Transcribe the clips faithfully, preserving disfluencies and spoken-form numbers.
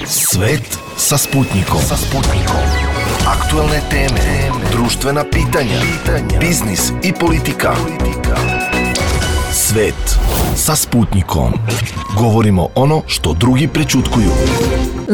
Svet sa Sputnikom. Sa Sputnikom. Aktuelne teme, društvena pitanja, biznis i politika. Svet sa Sputnikom. Govorimo ono što drugi prećutkuju.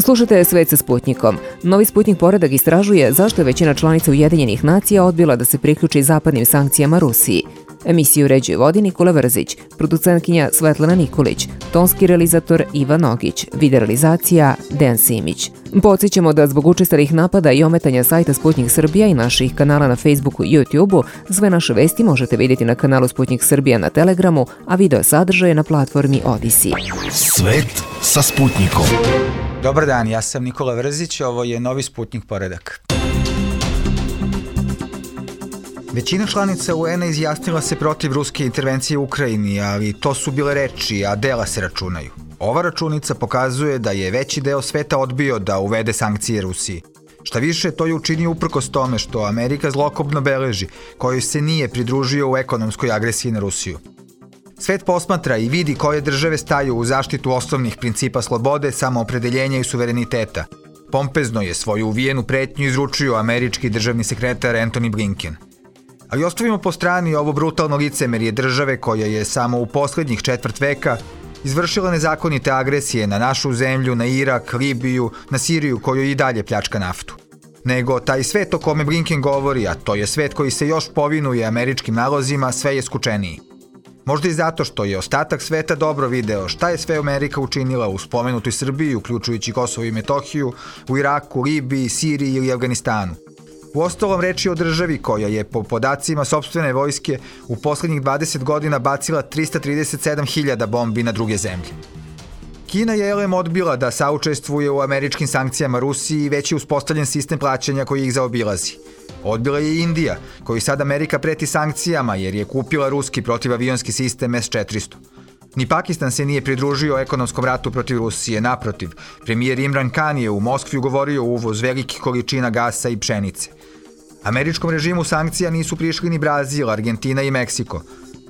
Slušajte Svet sa Sputnikom. Novi Sputnik poredak istražuje zašto je većina članica Ujedinjenih nacija odbila da se priključi zapadnim sankcijama Rusiji. Emisiju uređuje vodi Nikola Vrzić, producentkinja Svetlana Nikolić, tonski realizator Iva Nogić, video realizacija Dejan Simić. Podsjećamo da zbog učestalih napada i ometanja sajta Sputnik Srbija i naših kanala na Facebooku i YouTubeu, sve naše vesti možete vidjeti na kanalu Sputnik Srbija na Telegramu, a video sadržaje na platformi Odisi. Svet sa Sputnikom. Dobar dan, ja sam Nikola Vrzić, ovo je Novi Sputnik poredak. Većina članica U N-a izjasnila se protiv ruske intervencije u Ukrajini, ali to su bile reči, a dela se računaju. Ova računica pokazuje da je veći deo sveta odbio da uvede sankcije Rusiji. Šta više, to je učinio uprkos tome što Amerika zlokobno beleži, kojoj se nije pridružio u ekonomskoj agresiji na Rusiju. Svet posmatra i vidi koje države staju u zaštitu osnovnih principa slobode, samoopredeljenja i suvereniteta. Pompezno je svoju uvijenu pretnju izručio američki državni sekretar Antony Blinken. Ali ostavimo po strani ovo brutalno licemerje države koja je samo u poslednjih četvrt veka izvršila nezakonite agresije na našu zemlju, na Irak, Libiju, na Siriju kojoj i dalje pljačka naftu. Nego taj svet o kome Blinken govori, a to je svet koji se još povinuje američkim nalozima, sve je skučeniji. Možda i zato što je ostatak sveta dobro video šta je sve Amerika učinila u spomenutoj Srbiji, uključujući Kosovo i Metohiju, u Iraku, Libiji, Siriji ili Afganistanu. Uostalom, reč je o državi koja je po podacima sopstvene vojske u poslednjih dvadeset godina bacila trista trideset sedam hiljada bombi na druge zemlje. Kina je elem odbila da saučestvuje u američkim sankcijama Rusiji i već je uspostavljen sistem plaćanja koji ih zaobilazi. Odbila je i Indija, koji sad Amerika preti sankcijama jer je kupila ruski protivavionski sistem S četiristo. Ni Pakistan se nije pridružio ekonomskom ratu protiv Rusije, naprotiv, premijer Imran Khan je u Moskvi ugovorio uvoz velikih količina gasa i pšenice. Američkom režimu sankcija nisu prišli ni Brazil, Argentina i Meksiko,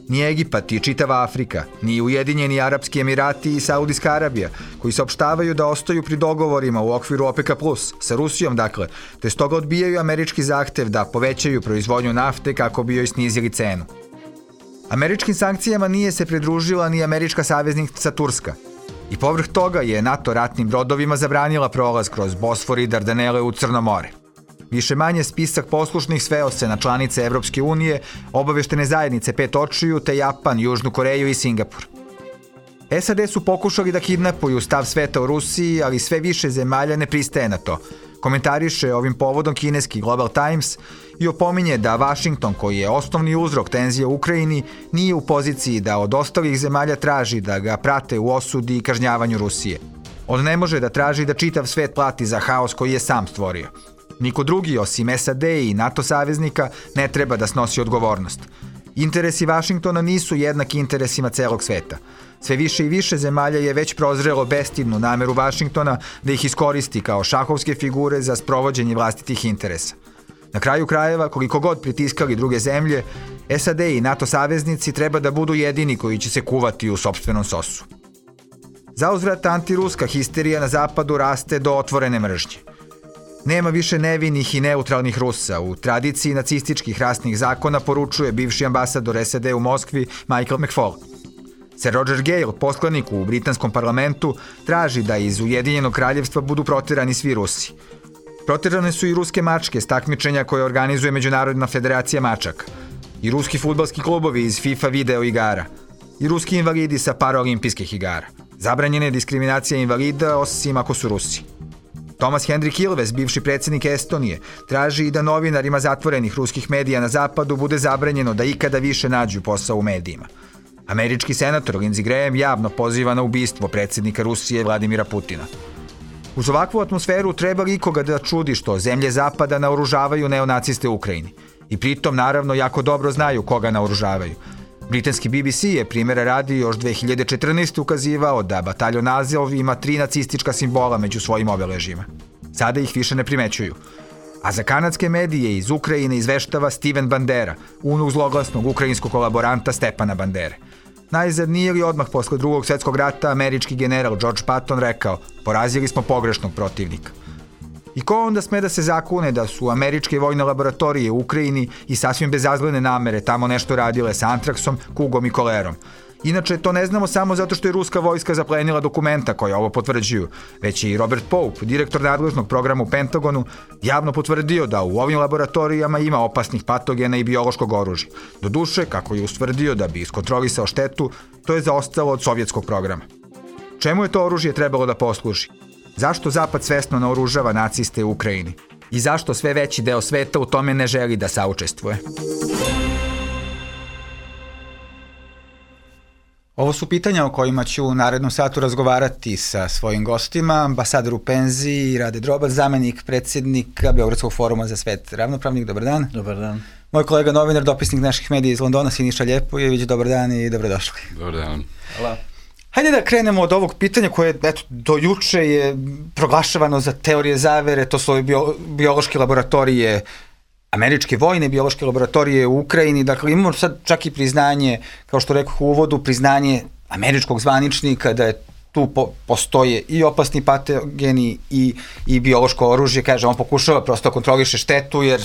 ni Egipat i čitava Afrika, ni Ujedinjeni Arapski Emirati i Saudijska Arabija, koji saopštavaju da ostaju pri dogovorima u okviru OPEC plus, sa Rusijom dakle, te stoga odbijaju američki zahtev da povećaju proizvodnju nafte kako bi joj snizili cenu. Američkim sankcijama nije se pridružila ni američka saveznica Turska. I povrh toga je NATO ratnim brodovima zabranila prolaz kroz Bosfor i Dardanele u Crno more. Više manje spisak poslušnih sveo se na članice Evropske unije, obaveštene zajednice Pet očiju, te Japan, Južnu Koreju i Singapur. S A D su pokušali da kidnapuju stav sveta u Rusiji, ali sve više zemalja ne pristaje na to. Komentariše ovim povodom kineski Global Times i opominje da Vašington, koji je osnovni uzrok tenzije u Ukrajini, nije u poziciji da od ostalih zemalja traži da ga prate u osudi i kažnjavanju Rusije. On ne može da traži da čitav svet plati za haos koji je sam stvorio. Niko drugi osim S A D i NATO saveznika ne treba da snosi odgovornost. Interesi Vašingtona nisu jednaki interesima celog sveta. Sve više i više zemalja je već prozrelo bestidnu nameru Vašingtona da ih iskoristi kao šahovske figure za sprovođenje vlastitih interesa. Na kraju krajeva, koliko god pritiskali druge zemlje, S A D i NATO saveznici treba da budu jedini koji će se kuvati u sopstvenom sosu. Zauzvrat, antiruska histerija na zapadu raste do otvorene mržnje. Nema više nevinih i neutralnih Rusa. U tradiciji nacističkih rasnih zakona poručuje bivši ambasador S A D u Moskvi Michael McFaul. Sir Roger Gale, poslanik u britanskom parlamentu, traži da iz Ujedinjenog kraljevstva budu proterani svi Rusi. Proterane su i ruske mačke s takmičenja koje organizuje Međunarodna federacija mačaka, i ruski fudbalski klubovi iz FIFA video igara, i ruski invalidi sa paraolimpijskih igara. Zabranjena je diskriminacija invalida osim ako su Rusi. Thomas Hendrik Ilves, bivši predsjednik Estonije, traži i da novinarima zatvorenih ruskih medija na zapadu bude zabranjeno da ikada više nađu posao u medijima. Američki senator Lindsey Graham javno poziva na ubistvo predsjednika Rusije Vladimira Putina. Uz ovakvu atmosferu treba li ikoga da čudi što zemlje zapada naoružavaju neonaciste u Ukrajini. I pritom naravno jako dobro znaju koga naoružavaju. Britanski B B C je primjera radi još dve hiljade četrnaeste. ukazivao da bataljon Azov ima tri nacistička simbola među svojim obeležjima. Sada ih više ne primećuju. A za kanadske medije iz Ukrajine izveštava Steven Bandera, unuk zloglasnog ukrajinskog kolaboranta Stepana Bandere. Najzad nije li odmah posle drugog svjetskog rata američki general George Patton rekao: porazili smo pogrešnog protivnika. I ko onda sme da se zakune da su američke vojne laboratorije u Ukrajini i sasvim bezazlene namere tamo nešto radile sa antraksom, kugom i kolerom? Inače, to ne znamo samo zato što je ruska vojska zaplenila dokumenta koja ovo potvrđuju, već je i Robert Pope, direktor nadležnog programa u Pentagonu, javno potvrdio da u ovim laboratorijama ima opasnih patogena i biološkog oružja. Doduše, kako je ustvrdio da bi iskontrolisao štetu, to je zaostalo od sovjetskog programa. Čemu je to oružje trebalo da posluži? Zašto Zapad svesno naoružava naciste u Ukrajini? I zašto sve veći deo sveta u tome ne želi da saučestvuje? Ovo su pitanja o kojima ću u narednom satu razgovarati sa svojim gostima, ambasador u penziji Rade Drobac, zamenik predsjednika Beogradskog foruma za svet ravnopravnih. Dobar dan. Dobar dan. Moj kolega novinar, dopisnik naših medija iz Londona, Siniša Ljepojević. Dobar dan i dobrodošli. Dobar dan. Hvala. Hajde da krenemo od ovog pitanja koje, eto, do juče je proglašavano za teorije zavere, to su bio, biološke laboratorije, američke vojne biološke laboratorije u Ukrajini. Dakle, imamo sad čak i priznanje, kao što rekao u uvodu, priznanje američkog zvaničnika da je tu po, postoje i opasni patogeni i, i biološko oružje. Kaže, on pokušava prosto da kontroliše štetu, jer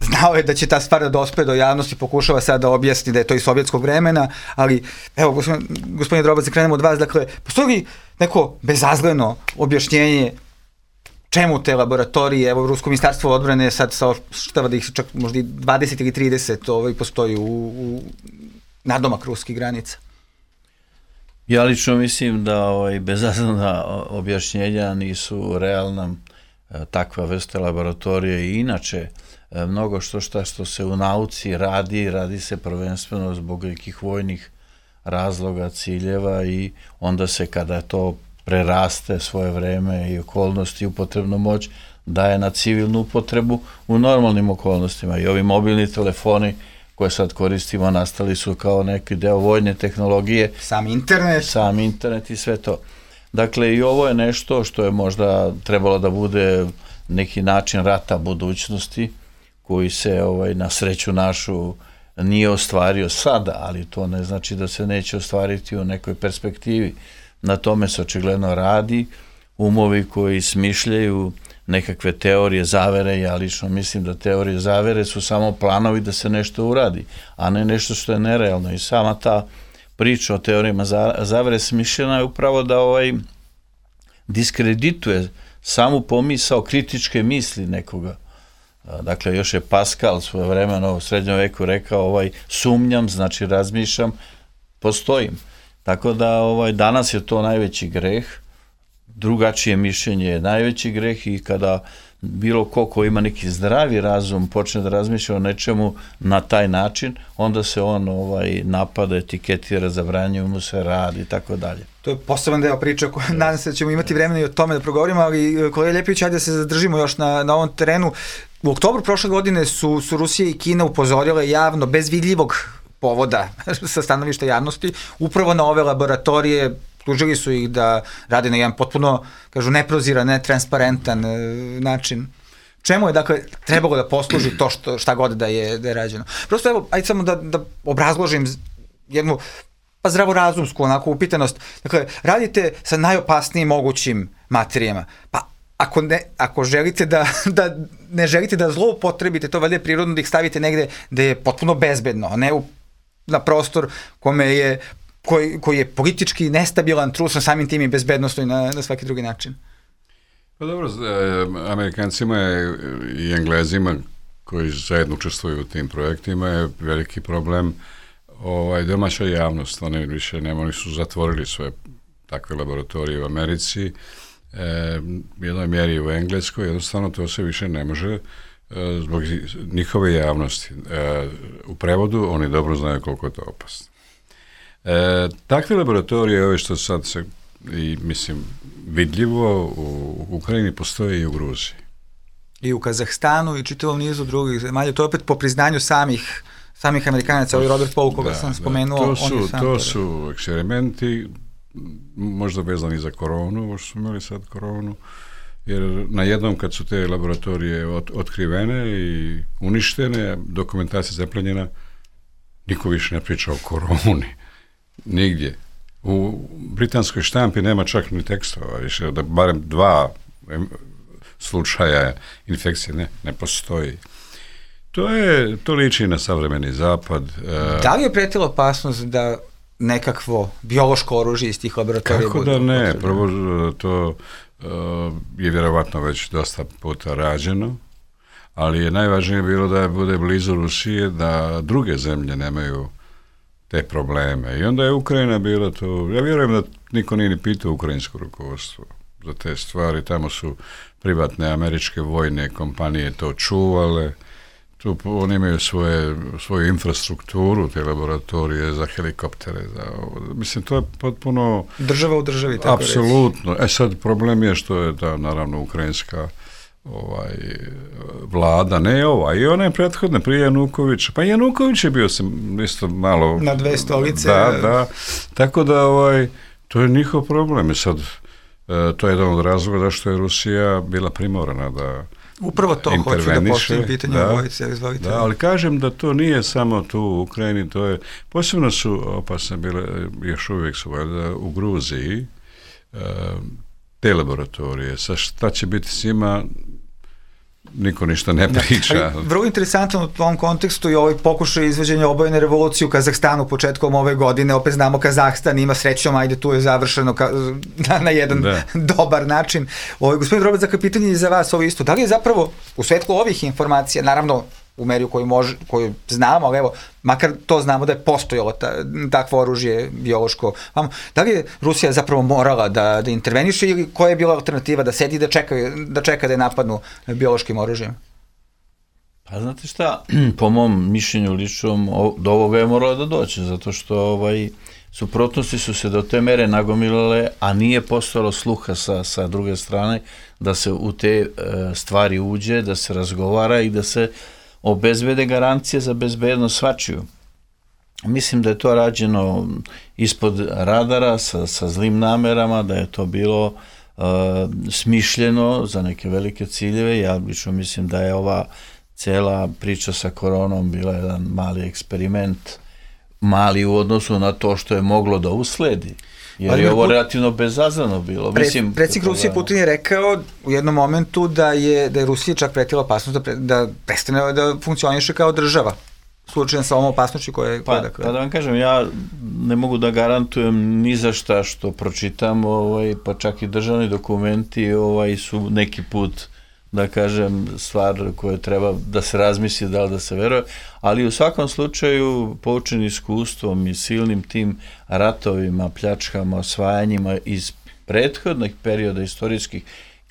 znao je da će ta stvar da dospe do javnosti, pokušava sad da objasni da je to iz sovjetskog vremena, ali evo, gospodin, gospodine Drobac, krenemo od vas. Dakle, postoji li neko bezazleno objašnjenje čemu te laboratorije, evo, Rusko ministarstvo odbrane sad saopštava da ih čak možda dvadeset ili trideset ovaj, postoji u, u nadomak ruskih granica? Ja lično mislim da ovaj, bezazlena objašnjenja nisu realna. Takva vrsta laboratorije i inače mnogo što šta što se u nauci radi, radi se prvenstveno zbog nekih vojnih razloga, ciljeva i onda se kada to preraste svoje vreme i okolnosti, upotrebnu moć, daje na civilnu upotrebu u normalnim okolnostima. I ovi mobilni telefoni koje sad koristimo nastali su kao neki deo vojne tehnologije. Sam internet. Sam internet i sve to. Dakle, i ovo je nešto što je možda trebalo da bude neki način rata budućnosti, koji se ovaj, na sreću našu nije ostvario sada, ali to ne znači da se neće ostvariti u nekoj perspektivi. Na tome se očigledno radi. Umovi koji smišljaju nekakve teorije zavere, ja lično mislim da teorije zavere su samo planovi da se nešto uradi, a ne nešto što je nerealno. I sama ta priča o teorijama zavere smišljena je upravo da ovaj diskredituje samu pomisao kritičke misli nekoga. Dakle, još je Pascal svoje vremeno u srednjem veku rekao ovaj, sumnjam, znači razmišljam, postojim. Tako da ovaj, danas je to najveći greh, drugačije mišljenje je najveći greh i kada bilo ko ko ima neki zdravi razum počne da razmišlja o nečemu na taj način, onda se on ovaj, napada, etiketira, zabranjuje mu se rad i tako dalje. To je poseban deo priče, yes. Nadam se da ćemo imati vremena i o tome da progovorimo, ali kolega Ljepojević, ajde da se zadržimo još na, na ovom terenu. U oktobru prošle godine su, su Rusija i Kina upozorile javno, bez vidljivog povoda sa stanovišta javnosti, upravo na ove laboratorije. Tužili su ih da rade na jedan potpuno, kažu, neproziran, netransparentan e, način. Čemu je, dakle, trebalo da posluži to što, šta god da je, da je rađeno? Prosto, evo, ajde samo da, da obrazložim jednu, pa zdravorazumsku, onako, upitanost. Dakle, radite sa najopasnijim mogućim materijama. Pa, ako, ne, ako želite da, da ne želite da zloupotrebite, to valjda je prirodno da ih stavite negde da je potpuno bezbedno, a ne u, na prostor kome je Koji, koji je politički nestabilan, trusan, samim tim i bezbednostno i na, na svaki drugi način. Pa dobro, Amerikancima i Englezima koji zajedno učestvuju u tim projektima je veliki problem ovaj, domaća javnost. Oni više nema, oni su zatvorili svoje takve laboratorije u Americi, e, u jednoj mjeri u Engleskoj, jednostavno to se više ne može e, zbog njihove javnosti. E, u prevodu oni dobro znaju koliko je to opasno. E, takve laboratorije, ove što sad se, i, mislim, vidljivo u Ukrajini postoje i u Gruziji. I u Kazahstanu i čitavom nizu drugih zemalja. To je opet po priznanju samih, samih Amerikanaca, ovaj Robert Paul, koga da, sam spomenuo. Da, to su, sam to su eksperimenti, možda vezani za koronu, ovo što smo imali sad koronu, jer na jednom kad su te laboratorije ot, otkrivene i uništene, dokumentacija zaplenjena, niko više ne priča o koroni. Nigdje. U britanskoj štampi nema čak ni tekstova, više da barem dva slučaja infekcije ne, ne postoji. To je, to liči na savremeni zapad. Da li je pretila opasnost da nekakvo biološko oružje iz tih laboratorija? Kako da ne? Prvo, to uh, je vjerovatno već dosta puta rađeno, ali je najvažnije bilo da bude blizu Rusije, da druge zemlje nemaju te probleme. I onda je Ukrajina bila to, ja vjerujem da niko nije ni pitao ukrajinsko rukovodstvo za te stvari, tamo su privatne američke vojne kompanije to čuvale, tu oni imaju svoje, svoju infrastrukturu, te laboratorije za helikoptere, za ovo. Mislim, to je potpuno... Država u državi, tako reći. Apsolutno. E sad, problem je što je ta, naravno, ukrajinska ovaj, vlada, ne ova, i ona je prethodna prije Janukovića, pa Januković je bio sam isto malo... Na dve stolice. Da, da, tako da, ovaj, to je njihov problem. I sad, to je jedan od razloga zašto je Rusija bila primorana da upravo to hoću da postavim pitanje o vojci, izvolite. Da, ali kažem da to nije samo tu u Ukrajini, to je, posebno su opasne bile, još uvijek su valjda u Gruziji, te laboratorije. Sa šta će biti s njima, niko ništa ne priča. Ja, vrlo interesantno u tom kontekstu i ovaj pokušaj izvođenja obojene revolucije u Kazahstanu početkom ove godine. Opet znamo Kazahstan ima srećom, ajde tu je završeno ka, na, na jedan da. dobar način. Ovaj, gospodin Robac, za pitanje je za vas ovo isto. Da li je zapravo u svetlu ovih informacija, naravno u meri u koju, može, koju znamo, ali evo, makar to znamo da je postojalo ta, takvo oružje biološko. Da li je Rusija zapravo morala da, da interveniše ili koja je bila alternativa da sedi da čeka da, čeka da je napadnu biološkim oružjem? Pa znate šta, po mom mišljenju ličnom, do ovoga je moralo da doće, zato što ovaj, suprotnosti su se do te mere nagomilale, a nije postojalo sluha sa, sa druge strane da se u te e, stvari uđe, da se razgovara i da se obezbede garancije za bezbednost svačiju. Mislim da je to rađeno ispod radara sa, sa zlim namerama, da je to bilo uh, smišljeno za neke velike ciljeve. Ja lično mislim da je ova cela priča sa koronom bila jedan mali eksperiment, mali u odnosu na to što je moglo da usledi. Jer ali je ovo relativno bezazleno bilo. Pre, predsjednik Rusije Putin je rekao u jednom momentu da je, da je Rusija čak pretila opasnost da, pre, da prestane da funkcioniše kao država. Slučajem sa ovom opasnošću koje je... Pa, dakle. pa da vam kažem, ja ne mogu da garantujem ni za šta što pročitam, ovaj, pa čak i državni dokumenti ovaj, su neki put, da kažem, stvar koje treba da se razmisli, da li da se veruje, ali u svakom slučaju poučen iskustvom i silnim tim ratovima, pljačkama, osvajanjima iz prethodnih perioda istorijskih,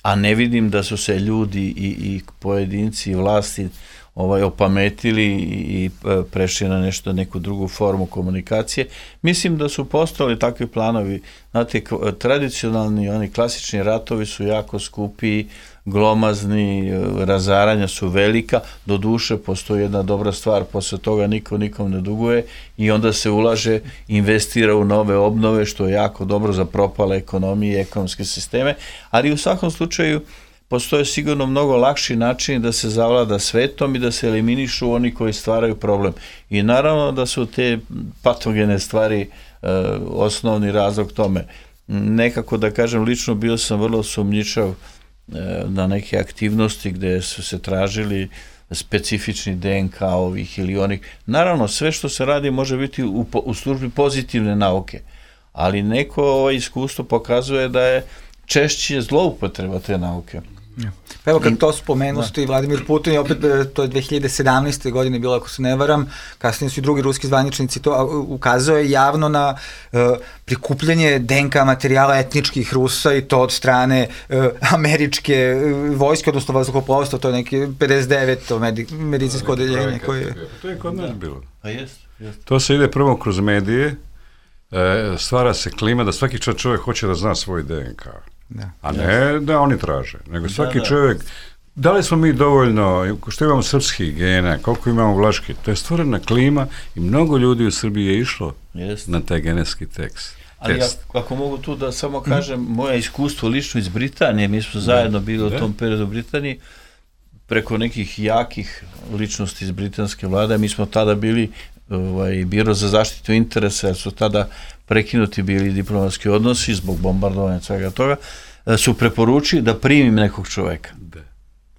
a ne vidim da su se ljudi i, i pojedinci i vlasti ovaj, opametili i prešli na nešto, neku drugu formu komunikacije. Mislim da su postali takvi planovi. Znate, tradicionalni, oni klasični ratovi su jako skupi, glomazni, razaranja su velika, do duše postoji jedna dobra stvar, posle toga niko nikom ne duguje i onda se ulaže, investira u nove obnove, što je jako dobro za propale ekonomije i ekonomske sisteme, ali u svakom slučaju postoje sigurno mnogo lakši način da se zavlada svetom i da se eliminišu oni koji stvaraju problem. I naravno da su te patogene stvari e, osnovni razlog tome. Nekako da kažem, lično bio sam vrlo sumnjičav na neke aktivnosti gde su se tražili specifični D N K ovih ili onih. Naravno, sve što se radi može biti u, u službi pozitivne nauke, ali neko ovo iskustvo pokazuje da je češće zloupotreba te nauke. Ja. Pa evo kad to spomenuste i Vladimir Putin, opet to je dve hiljade sedamnaeste. godine bilo, ako se ne varam, kasnije su i drugi ruski zvaničnici to ukazuje javno na uh, prikupljanje D N K materijala etničkih Rusa i to od strane uh, američke uh, vojske, odnosno vazduhoplovstva, to je neki pedeset deveto Medi, medicinsko odeljenje koje... To je kod nas bilo. A jest, jest. To se ide prvo kroz medije, e, stvara se klima da svaki čovjek hoće da zna svoj D N K. Da. A ne da oni traže, nego svaki da, da. čovjek, da li smo mi dovoljno, što imamo srpskih gena, koliko imamo vlaški, to je stvorena klima i mnogo ljudi u Srbiji je išlo Jest. na taj genetski tekst. Ali ja, ako mogu tu da samo kažem, mm. moje iskustvo lično iz Britanije, mi smo zajedno bili da. u tom periodu u Britaniji, preko nekih jakih ličnosti iz britanske vlade, mi smo tada bili ovaj, biro za zaštitu interesa, jer su tada prekinuti bili diplomatski odnosi zbog bombardovanja svega toga, su preporučili da primim nekog čoveka.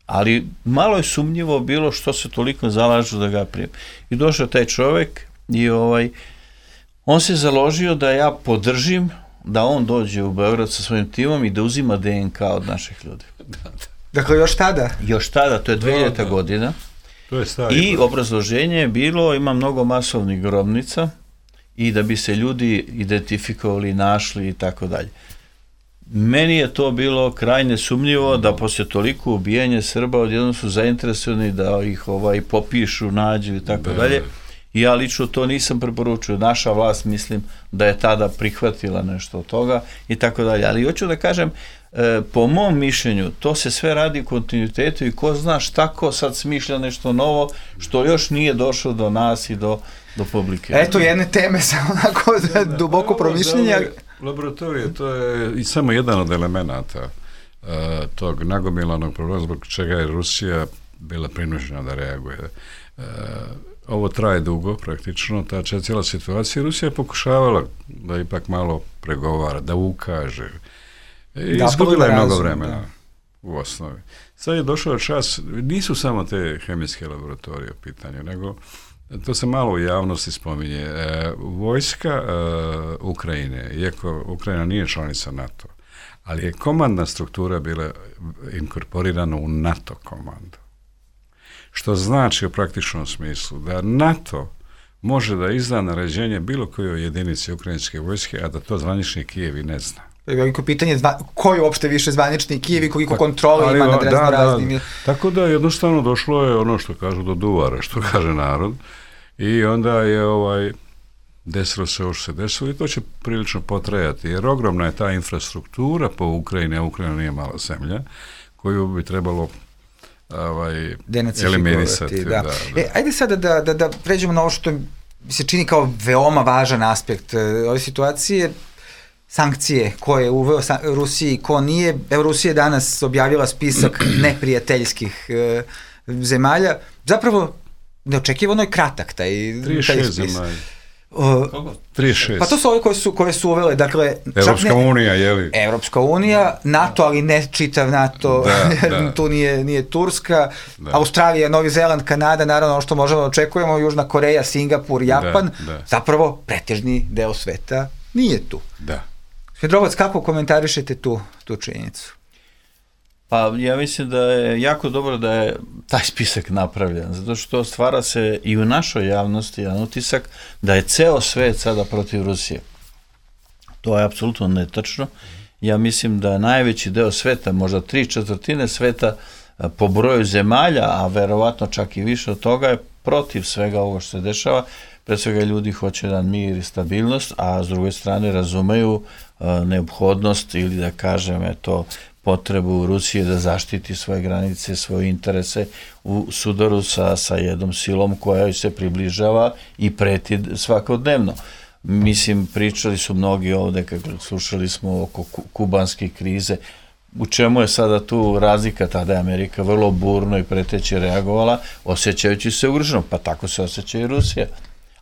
Ali malo je sumnjivo bilo što se toliko zalažu da ga primim. I došao taj čovek i ovaj, on se založio da ja podržim da on dođe u Beograd sa svojim timom i da uzima D N K od naših ljudi. Dakle, još tada? Još tada, to je dvehiljadita Da, da. godina. To je stari. I obrazloženje je bilo, ima mnogo masovnih grobnica i da bi se ljudi identifikovali, našli i tako dalje. Meni je to bilo krajne sumnjivo da poslije toliko ubijanja Srba odjednom su zainteresovani da ih ovaj popišu, nađu i tako dalje. I ja lično to nisam preporučio. Naša vlast, mislim, da je tada prihvatila nešto od toga i tako dalje. Ali hoću da kažem, e, po mom mišljenju, to se sve radi u kontinuitetu i ko zna šta ko sad smišlja nešto novo, što još nije došlo do nas i do, do publike. Eto jedne teme sa onako duboko promišljenja. Laboratorije, to je i samo jedan od elemenata uh, tog nagomilanog problema zbog čega je Rusija bila prinuđena da reaguje. Uh, ovo traje dugo praktično, ta cijela situacija. Rusija je pokušavala da ipak malo pregovara, da ukaže. I da, izgubila je mnogo vremena da. U osnovi. Sad je došao čas, nisu samo te hemijske laboratorije u pitanju, nego to se malo u javnosti spominje. E, vojska e, Ukrajine, iako Ukrajina nije članica NATO, ali je komandna struktura bila inkorporirana u NATO komandu. Što znači u praktičnom smislu da NATO može da izda naređenje bilo kojoj jedinici ukrajinske vojske, a da to zvanični Kijev i ne zna. Veliko pitanje, ko je uopšte više zvanični Kijev i koliko kontrole ima nad razno da, raznim... Da. Tako da jednostavno došlo je ono što kažu do duvara, što kaže narod, i onda je ovaj desilo se ovo što se desilo i to će prilično potrajati, jer ogromna je ta infrastruktura po Ukrajini, a Ukrajina nije mala zemlja, koju bi trebalo ovaj, eliminisati. Da. Da, da. E, ajde sada da, da, da pređemo na ovo što mi se čini kao veoma važan aspekt ove situacije, sankcije koje je uveo Rusiji, ko nije. Evo, Rusija je danas objavila spisak neprijateljskih e, zemalja. Zapravo, neočekivano je kratak taj, taj spisak. trideset šest. Pa to su ove koje su, koje su uvele, dakle... Evropska ne, unija, je li? Evropska unija, NATO, ali ne čitav NATO, da, da. Tu nije, nije Turska, da. Australija, Novi Zeland, Kanada, naravno ono što možemo da očekujemo, Južna Koreja, Singapur, Japan, da, da. Zapravo pretežni deo sveta nije tu. Da. Svedrovac, kako komentarišete tu, tu činjenicu? Pa ja mislim da je jako dobro da je taj spisak napravljen, zato što stvara se i u našoj javnosti jedan utisak da je ceo svet sada protiv Rusije. To je apsolutno netačno. Ja mislim da najveći deo sveta, možda tri četvrtine sveta po broju zemalja, a verovatno čak i više od toga, je protiv svega ovo što se dešava. Pre svega ljudi hoće jedan mir i stabilnost, a s druge strane razumeju uh, neophodnost ili da kažem eto potrebu Rusije da zaštiti svoje granice, svoje interese u sudaru sa, sa jednom silom koja se približava i preti svakodnevno. Mislim, pričali su mnogi ovde, kako slušali smo oko kubanske krize, u čemu je sada tu razlika, tada je Amerika vrlo burno i preteće reagovala, osjećajući se ugroženo, pa tako se osjeća i Rusija.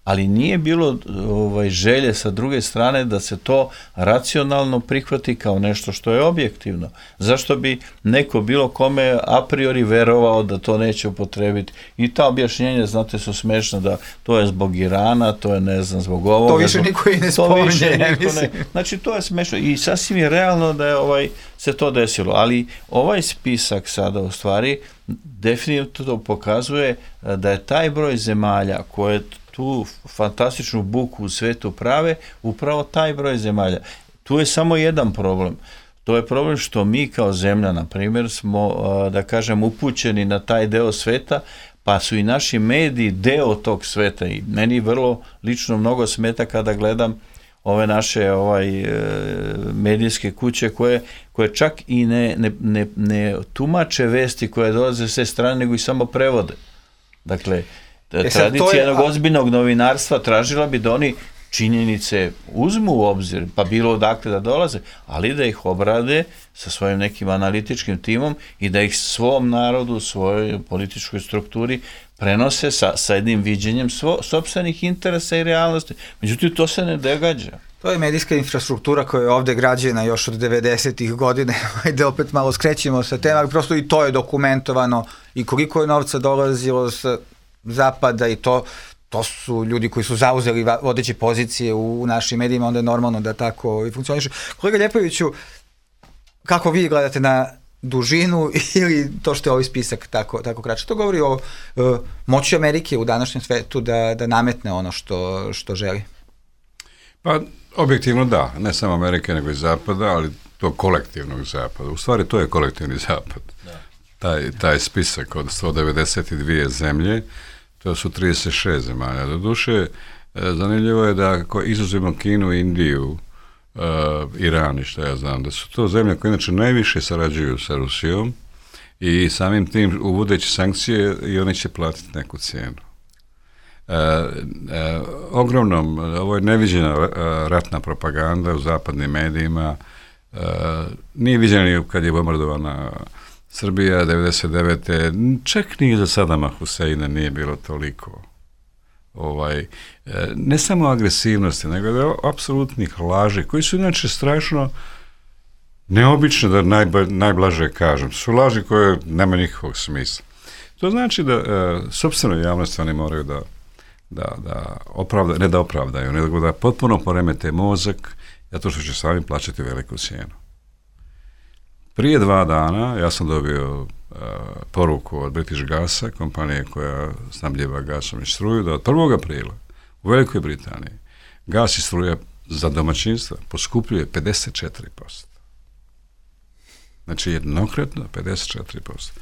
Ali nije bilo ovaj, želje sa druge strane da se to racionalno prihvati kao nešto što je objektivno. Zašto bi neko bilo kome a priori verovao da to neće upotrebiti? I ta objašnjenja, znate, su smešna, da to je zbog Irana, to je ne znam zbog ovoga. To više niko i ne spominje. Ne, znači to je smešno i sasvim je realno da je ovaj, se to desilo, ali ovaj spisak sada u stvari definitivno pokazuje da je taj broj zemalja koje tu fantastičnu buku u svetu prave, upravo taj broj zemalja. Tu je samo jedan problem. To je problem što mi kao zemlja, na primjer, smo, da kažem, upućeni na taj deo sveta, pa su i naši mediji deo tog sveta i meni vrlo lično mnogo smeta kada gledam ove naše ovaj, medijske kuće koje, koje čak i ne, ne, ne, ne tumače vesti koje dolaze s te strane, nego i samo prevode. Dakle, E tradicija jednog a... ozbiljnog novinarstva tražila bi da oni činjenice uzmu u obzir, pa bilo odakle da dolaze, ali da ih obrade sa svojim nekim analitičkim timom i da ih svom narodu, svojoj političkoj strukturi prenose sa, sa jednim viđenjem svo, sopstvenih interesa i realnosti. Međutim, to se ne događa. To je medijska infrastruktura koja je ovde građena još od devedesetih godine, ajde opet malo skrećemo sa tema, prosto i to je dokumentovano i koliko je novca dolazilo sa zapada i to, to su ljudi koji su zauzeli vodeće pozicije u, u našim medijima, onda je normalno da tako i funkcioniše. Kolega Ljepoviću, kako vi gledate na dužinu ili to što je ovaj spisak tako, tako kraće? To govori o uh, moći Amerike u današnjem svetu da, da nametne ono što, što želi. Pa, objektivno da, ne samo Amerike nego i Zapada, ali to kolektivnog Zapada. U stvari to je kolektivni Zapad. Da. Taj, taj spisak od sto devedeset dvije zemlje, to su trideset šest zemalja. Doduše, zanimljivo je da ako izuzmemo Kinu, Indiju, uh, Iran i što ja znam, da su to zemlje koje inače najviše sarađuju sa Rusijom i samim tim uvodeći sankcije i oni će platiti neku cijenu. E, e, ogromnom, ovo je neviđena ratna propaganda u zapadnim medijima, e, nije viđena kad je bombardovana Srbija devedeset devete čak ni za Sadama Huseina nije bilo toliko ovaj, e, ne samo agresivnosti, nego da apsolutnih laži, koji su inače strašno neobične, da najba, najblaže kažem, su laži koje nema nikakvog smisla. To znači da e, sopstveno javnost oni moraju da da, da opravda, ne da opravdaju, nego da potpuno poremete mozak, zato što će sami plaćati veliku cijenu. Prije dva dana ja sam dobio uh, poruku od British Gasa, kompanije koja snabdjeva gasom i struju, da od prvog aprila u Velikoj Britaniji gas i struja za domaćinstva poskupljuje pedeset četiri posto. Znači jednokratno pedeset četiri posto.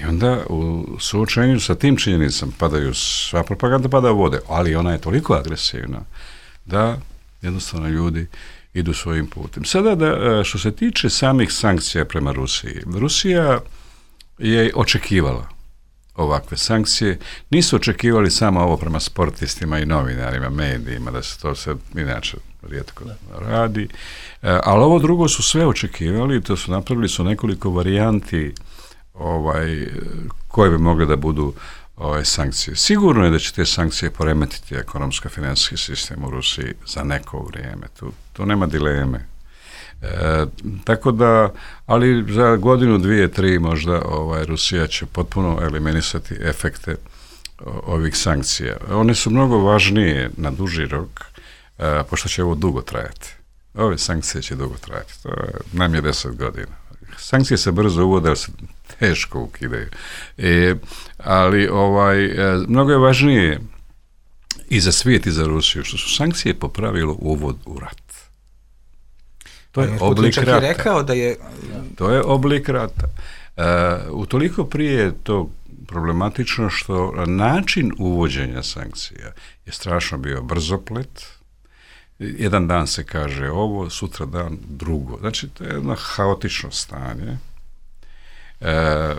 I onda u suočenju sa tim činjenicama padaju, sva propaganda pada u vode, ali ona je toliko agresivna da jednostavno ljudi idu svojim putem. Sada da, što se tiče samih sankcija prema Rusiji, Rusija je očekivala ovakve sankcije, nisu očekivali samo ovo prema sportistima i novinarima, medijima, da se to sve inače rijetko radi, ali ovo drugo su sve očekivali, to su napravili su nekoliko varijanti ovaj, koje bi mogle da budu ovaj, sankcije. Sigurno je da će te sankcije poremetiti ekonomsko-financijski sistem u Rusiji za neko vrijeme. Tu, tu nema dileme. E, tako da, ali za godinu, dvije, tri možda ovaj, Rusija će potpuno eliminisati efekte o, ovih sankcija. One su mnogo važnije na duži rok, e, pošto će ovo dugo trajati. Ove sankcije će dugo trajati. To je najmanje deset godina. Sankcije se brzo uvode, ali se teško ukidaju. E, ali ovaj, e, mnogo je važnije i za svijet i za Rusiju, što su sankcije po pravilu uvod u rat. To je oblik rata. Rekao da je... To je oblik rata. E, utoliko prije je to problematično što način uvođenja sankcija je strašno bio brzoplet. Jedan dan se kaže ovo, sutra dan drugo. Znači, to je jedno haotično stanje. E,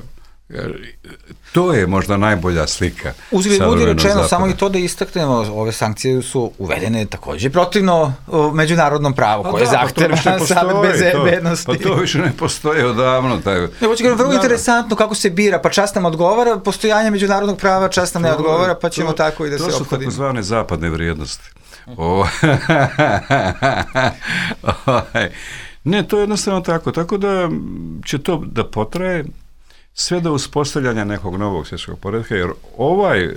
to je možda najbolja slika. Uzgled budi rečeno, zapada. Samo i to da istaknemo, ove sankcije su uvedene također protivno međunarodnom pravu, koje da, zahteva pa Savet bezbednosti. Pa to više ne postoje odavno. Taj... Ne, hoće ga vrlo da, interesantno kako se bira, pa čast nam odgovara postojanje međunarodnog prava, čast nam ne odgovara, pa ćemo to, tako i da se ophodimo. To su takozvane zapadne vrijednosti. O, ne, to je jednostavno tako. Tako da će to da potraje sve do uspostavljanja nekog novog svjetskog poretka, jer ovaj,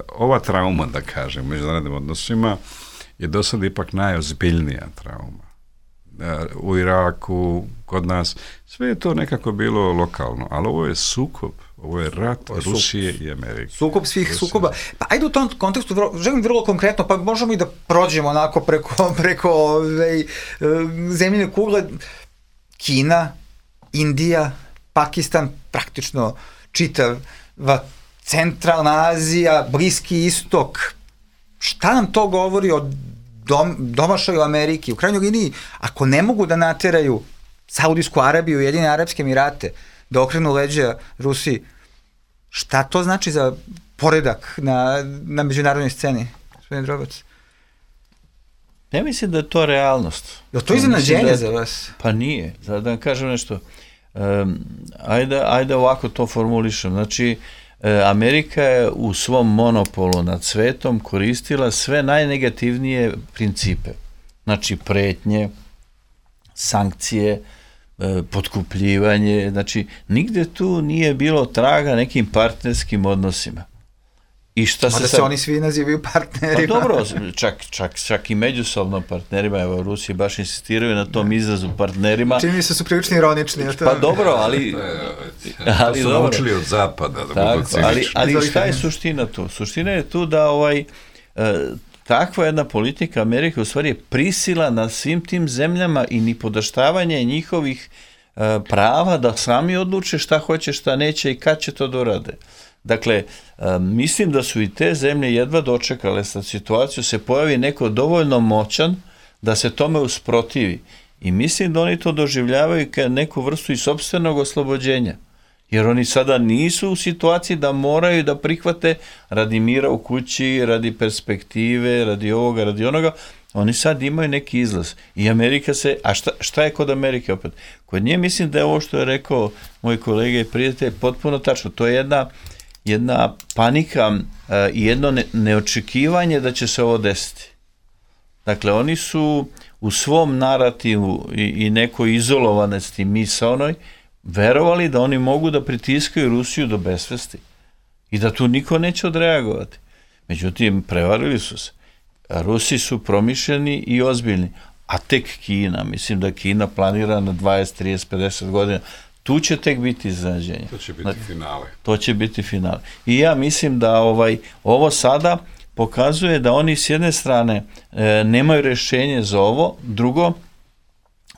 ova trauma, da kažem, u međunarodnim odnosima je do sada ipak najozbiljnija trauma. U Iraku, kod nas, sve je to nekako bilo lokalno, ali ovo je sukob, ovo je rat ovo je Rusije sukob. I Amerike. Sukob svih Rusije. Sukoba. Pa ajde u tom kontekstu, vrlo, želim vrlo konkretno, pa možemo i da prođemo onako preko, preko ove, zemljine kugle. Kina, Indija, Pakistan, praktično čitava centralna Azija, Bliski istok. Šta nam to govori o dom, domašaju Ameriki? U krajnjoj liniji, ako ne mogu da nateraju Saudijsku Arabiju i Ujedinjene Arapske Emirate da okrenu leđa Rusiji, šta to znači za poredak na, na međunarodnoj sceni? Gospodin Drobac. Ja mislim da je to realnost. Je li to iznenađenje da, za vas? Pa nije. Da vam kažem nešto. Um, ajde, ajde ovako to formulišem. Znači, Amerika je u svom monopolu nad svetom koristila sve najnegativnije principe. Znači pretnje, sankcije, potkupljivanje, znači nigde tu nije bilo traga nekim partnerskim odnosima. I šta se, sad... se oni svi nazivaju partnerima. Pa dobro, čak, čak, čak i međusobno partnerima, evo Rusiji baš insistiraju na tom izrazu partnerima. Čini mi se su prilično ironični. To... Pa dobro, ali... ali to su naučili od zapada. Da tako, ali, ali šta je suština tu? Suština je tu da ovaj... E, takva jedna politika Amerike u stvari je prisila na svim tim zemljama i nipodaštavanje njihovih e, prava da sami odluče šta hoće, šta neće i kad će to dorade. Dakle, e, mislim da su i te zemlje jedva dočekale sa situaciju, se pojavi neko dovoljno moćan da se tome usprotivi. I mislim da oni to doživljavaju kao neku vrstu i sopstvenog oslobođenja. Jer oni sada nisu u situaciji da moraju da prihvate radi mira u kući, radi perspektive, radi ovoga, radi onoga. Oni sad imaju neki izlaz. I Amerika se... A šta, šta je kod Amerike opet? Kod nje mislim da je ovo što je rekao moj kolega i prijatelj potpuno tačno. To je jedna, jedna panika uh, i jedno ne, neočekivanje da će se ovo desiti. Dakle, oni su u svom narativu i, i nekoj izolovanosti misaonoj verovali da oni mogu da pritiskaju Rusiju do besvesti i da tu niko neće odreagovati. Međutim, prevarili su se. Rusi su promišljeni i ozbiljni, a tek Kina, mislim da Kina planira na dvadeset, trideset, pedeset godina, tu će tek biti iznenađenje. To će biti znači, finale. To će biti finale. I ja mislim da ovaj ovo sada pokazuje da oni s jedne strane e, nemaju rješenje za ovo, drugo,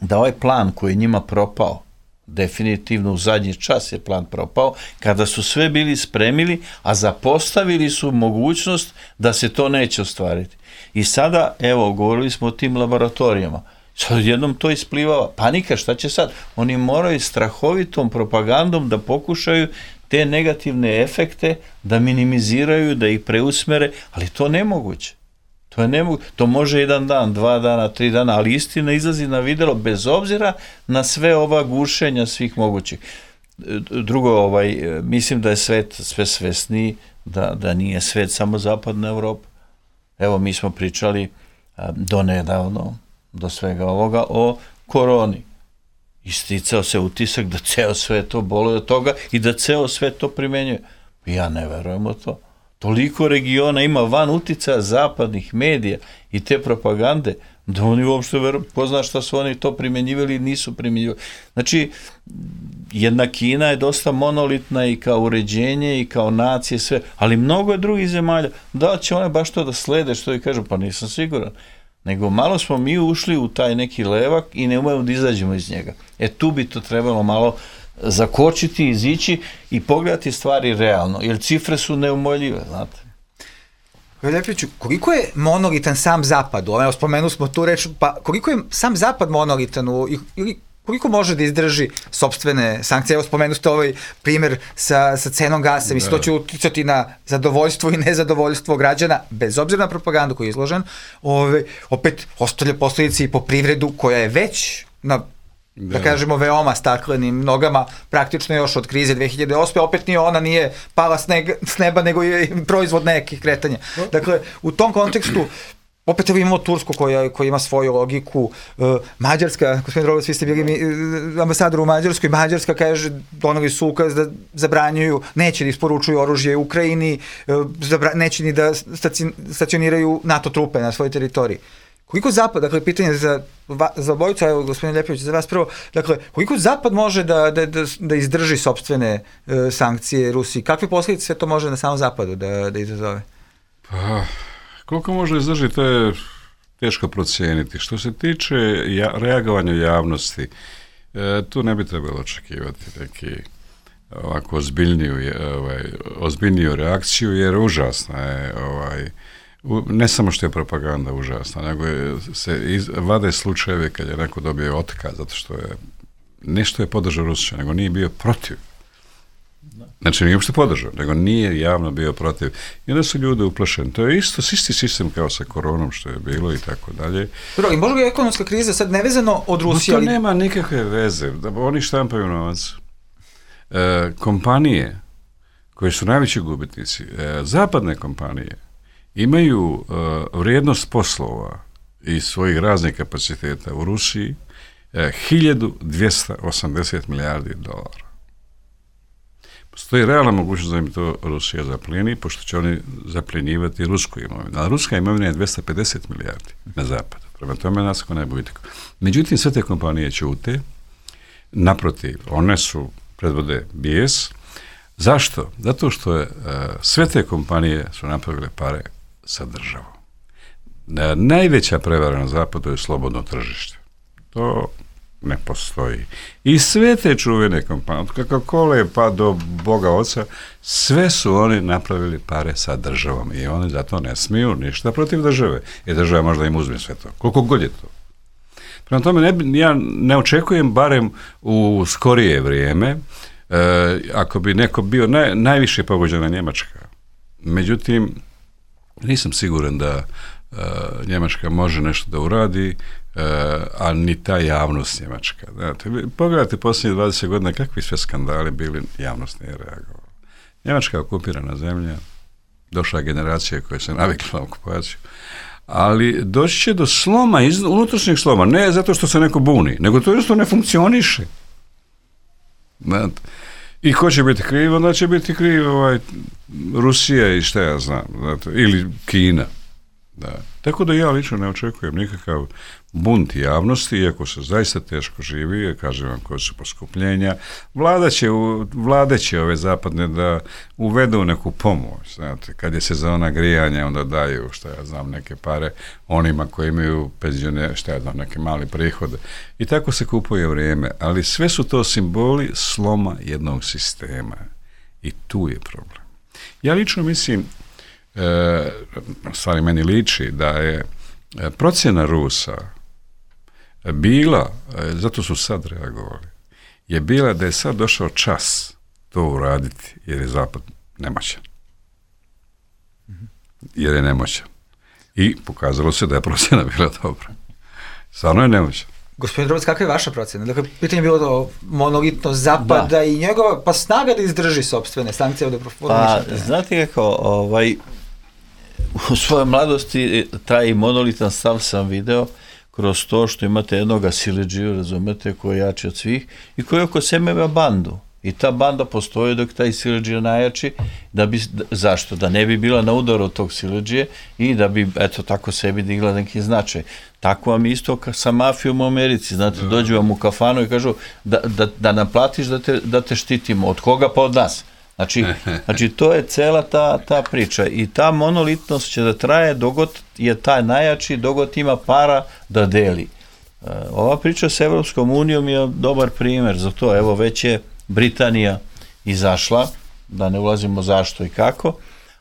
da ovaj plan koji je njima propao, definitivno u zadnji čas je plan propao, kada su sve bili spremili, a zapostavili su mogućnost da se to neće ostvariti. I sada, evo, govorili smo o tim laboratorijama, sad jednom to isplivava, panika, šta će sad? Oni moraju strahovitom propagandom da pokušaju te negativne efekte da minimiziraju, da ih preusmere, ali to nemoguće. To je nemoguće. To može jedan dan, dva dana, tri dana, ali istina izlazi na videlo bez obzira na sve ova gušenja svih mogućih. Drugo, ovaj, mislim da je svet sve svesniji, da, da nije svet samo zapadna Evropa. Evo, mi smo pričali do nedavno, do svega ovoga, o koroni. Isticao se utisak da ceo svet to boluje od toga i da ceo svet to primenjuje. Ja ne verujem u to. Toliko regiona ima van uticaja zapadnih medija i te propagande, da oni uopšte veruju, ko zna šta su oni to primjenjivali i nisu primjenjivali. Znači, jedna Kina je dosta monolitna i kao uređenje i kao nacije, sve, ali mnogo je drugih zemalja. Da će one baš to da slede, što i kažu, pa nisam siguran. Nego malo smo mi ušli u taj neki levak i ne umemo da izađemo iz njega. E tu bi to trebalo malo zakočiti, izići i pogledati stvari realno, jer cifre su neumoljive, znate. Ljepiću, koliko je monolitan sam Zapad? Evo, spomenuli smo tu reč, pa koliko je sam Zapad monolitan u, ili koliko može da izdrži sopstvene sankcije? Evo, spomenuli ste ovaj primjer sa, sa cenom gasa, mislim, to će uticati na zadovoljstvo i nezadovoljstvo građana, bez obzira na propagandu koji je izložen. Ove, opet, ostavlja posljedice i po privredu koja je već na da, da kažemo, veoma staklenim nogama, praktično još od krize dve hiljade osme. Opet nije ona nije pala s, neg, s neba, nego je proizvod nekih kretanja. Dakle, u tom kontekstu, opet imamo Tursku koja, koja ima svoju logiku, uh, Mađarska, gospodin Rogović, vi ste bili mi, uh, ambasador u Mađarskoj, Mađarska kaže, donali su ukaz da zabranjuju, neće da isporučuju oružje u Ukrajini, uh, zabra, neće ni da stacioniraju NATO trupe na svojoj teritoriji. Koliko Zapad, dakle, pitanje za, za obojicu, evo, gospodin Ljepović, za vas prvo, dakle, koliko Zapad može da, da, da, da izdrži sopstvene uh, sankcije Rusiji? Kakve posljedice sve to može na samom Zapadu da, da izazove? Pa, koliko može izdržiti, to je teško procijeniti. Što se tiče ja, reagovanja javnosti, e, tu ne bi trebalo očekivati neki ovako ozbiljniju, ovaj, ozbiljniju reakciju, jer užasna je, ovaj, ne samo što je propaganda užasna, nego je, se iz, vade slučajeve kad je neko dobio otkaz, zato što je nešto je podržao Rusiju, nego nije bio protiv. Znači, nije uopšte podržao, nego nije javno bio protiv. I onda su ljudi uplašeni. To je isto, isti sistem kao sa koronom što je bilo i tako dalje. Dobro, i možda je ekonomska kriza sad nevezano od Rusije? No, to ali... nema nikakve veze. Oni štampaju novac. E, kompanije koje su najveći gubitnici, e, zapadne kompanije, imaju e, vrijednost poslova i svojih raznih kapaciteta u Rusiji hiljadu dvjesto osamdeset milijardi dolara. Postoji realna mogućnost da im to Rusija zaplijeni, pošto će oni zapljenjivati rusku imovinu. A ruska imovina je dvjesto pedeset milijardi na zapadu. Prema tome nas ko ne bude. Međutim, sve te kompanije ćute. Naprotiv, one su predvode bijes. Zašto? Zato što je, uh, sve te kompanije su napravile pare sa državom. Uh, najveća prevara na zapadu je slobodno tržište. To ne postoji. I sve te čuvene kompanije, od Coca-Cola pa do Boga Oca, sve su oni napravili pare sa državom i oni zato ne smiju ništa protiv države. I država možda im uzme sve to. Koliko god je to. Prema tome, ne, ja ne očekujem barem u skorije vrijeme, e, ako bi neko bio naj, najviše pogođena Njemačka. Međutim, nisam siguran da e, Njemačka može nešto da uradi, e, a ni ta javnost Njemačka. Znate, pogledajte posljednjih dvadeset godina kakvi sve skandali bili, javnost nije reagovala. Njemačka je okupirana zemlja, došla generacija koja se navikla na okupaciju, ali doći će do sloma, iz, unutrašnjeg sloma, ne zato što se neko buni, nego to jednostavno ne funkcioniše. Znate. I ko će biti kriv? Onda će biti kriv ovaj, Rusija i šta ja znam, znate, ili Kina. Da. Tako da ja lično ne očekujem nikakav bunt javnosti, iako se zaista teško živi, kažem vam koje su poskupljenja. Vlada će, vlade će ove zapadne da uvedu neku pomoć. Znate, kad je sezona grijanja, onda daju, šta ja znam, neke pare onima koji imaju penzionere, šta ja znam, neke mali prihode. I tako se kupuje vrijeme. Ali sve su to simboli sloma jednog sistema. I tu je problem. Ja lično mislim, E, stvari meni liči da je procjena Rusa bila, e, zato su sad reagovali, je bila da je sad došao čas to uraditi jer je Zapad nemoćan. Jer je nemoćan. I pokazalo se da je procjena bila dobra. Stvarno je nemoćan. Gospodin Drobac, kakva je vaša procjena? Dakle, pitanje je bilo to monolitno Zapada da. I njegova, pa snaga da izdrži sopstvene sankcije od Pa, znate kako, ovaj, u svojoj mladosti taj monolitan stav sam video kroz to što imate jednoga siledžiju, razumete, koji je jači od svih i koji oko sebe ima bandu. I ta banda postoji dok taj siledžija najjači, da bi, zašto? Da ne bi bila na udaru od tog siledžije i da bi, eto, tako sebi digla neki značaj. Tako vam isto sa mafijom u Americi, znate, dođu vam u kafanu i kažu da, da, da nam platiš da te, da te štitimo. Od koga? Pa od nas. Znači, znači to je cela ta, ta priča i ta monolitnost će da traje dogod je taj najjači, dogod ima para da deli. Ova priča s Evropskom unijom je dobar primjer za to. Evo, već je Britanija izašla, da ne ulazimo zašto i kako,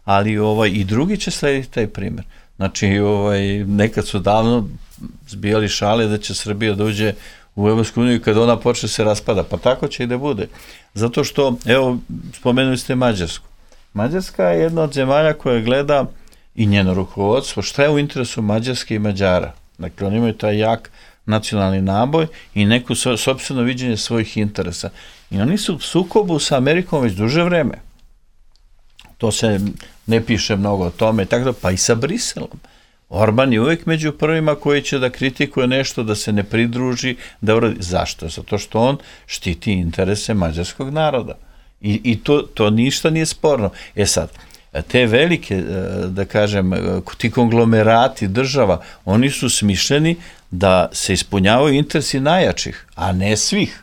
ali ovaj, i drugi će slediti taj primjer. Znači, ovaj, nekad su davno zbijali šale da će Srbija da uđe u Evropsku uniju kad ona počne se raspada. Pa tako će i da bude. Zato što, evo, spomenuli ste Mađarsku. Mađarska je jedna od zemalja koja gleda i njeno rukovodstvo šta je u interesu Mađarske i Mađara. Dakle, oni imaju taj jak nacionalni naboj i neku so, sopstveno viđenje svojih interesa. I oni su u sukobu sa Amerikom već duže vreme. To se ne piše mnogo o tome, tako da, pa i sa Briselom. Orban je uvijek među prvima koji će da kritikuje nešto, da se ne pridruži, da uradi. Zašto? Zato što on štiti interese mađarskog naroda. I, i to, to ništa nije sporno. E sad, te velike, da kažem, ti konglomerati država, oni su smišljeni da se ispunjavaju interesi najjačih, a ne svih.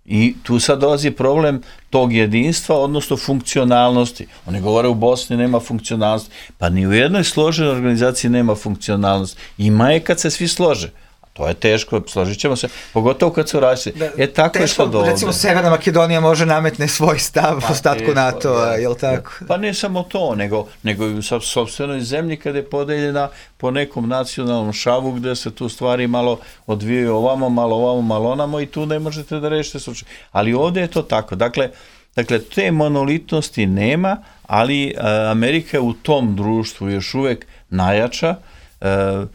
I tu sad dolazi problem tog jedinstva, odnosno funkcionalnosti. Oni govore u Bosni nema funkcionalnosti. Pa ni u jednoj složenoj organizaciji nema funkcionalnosti. Ima je kad se svi slože. To je teško, složit ćemo se, pogotovo kad su različiti. E, tako je što do ovde. Recimo, Severna Makedonija može nametne svoj stav pa, ostatku NATO-a, je li tako? Pa ne samo to, nego, nego i u sopstvenoj zemlji kada je podeljena po nekom nacionalnom šavu gde se tu stvari malo odvijaju ovamo, malo ovamo, malo onamo i tu ne možete da rešite slučaj. Ali ovde je to tako. Dakle, dakle te monolitnosti nema, ali a, Amerika je u tom društvu još uvek najjača, a,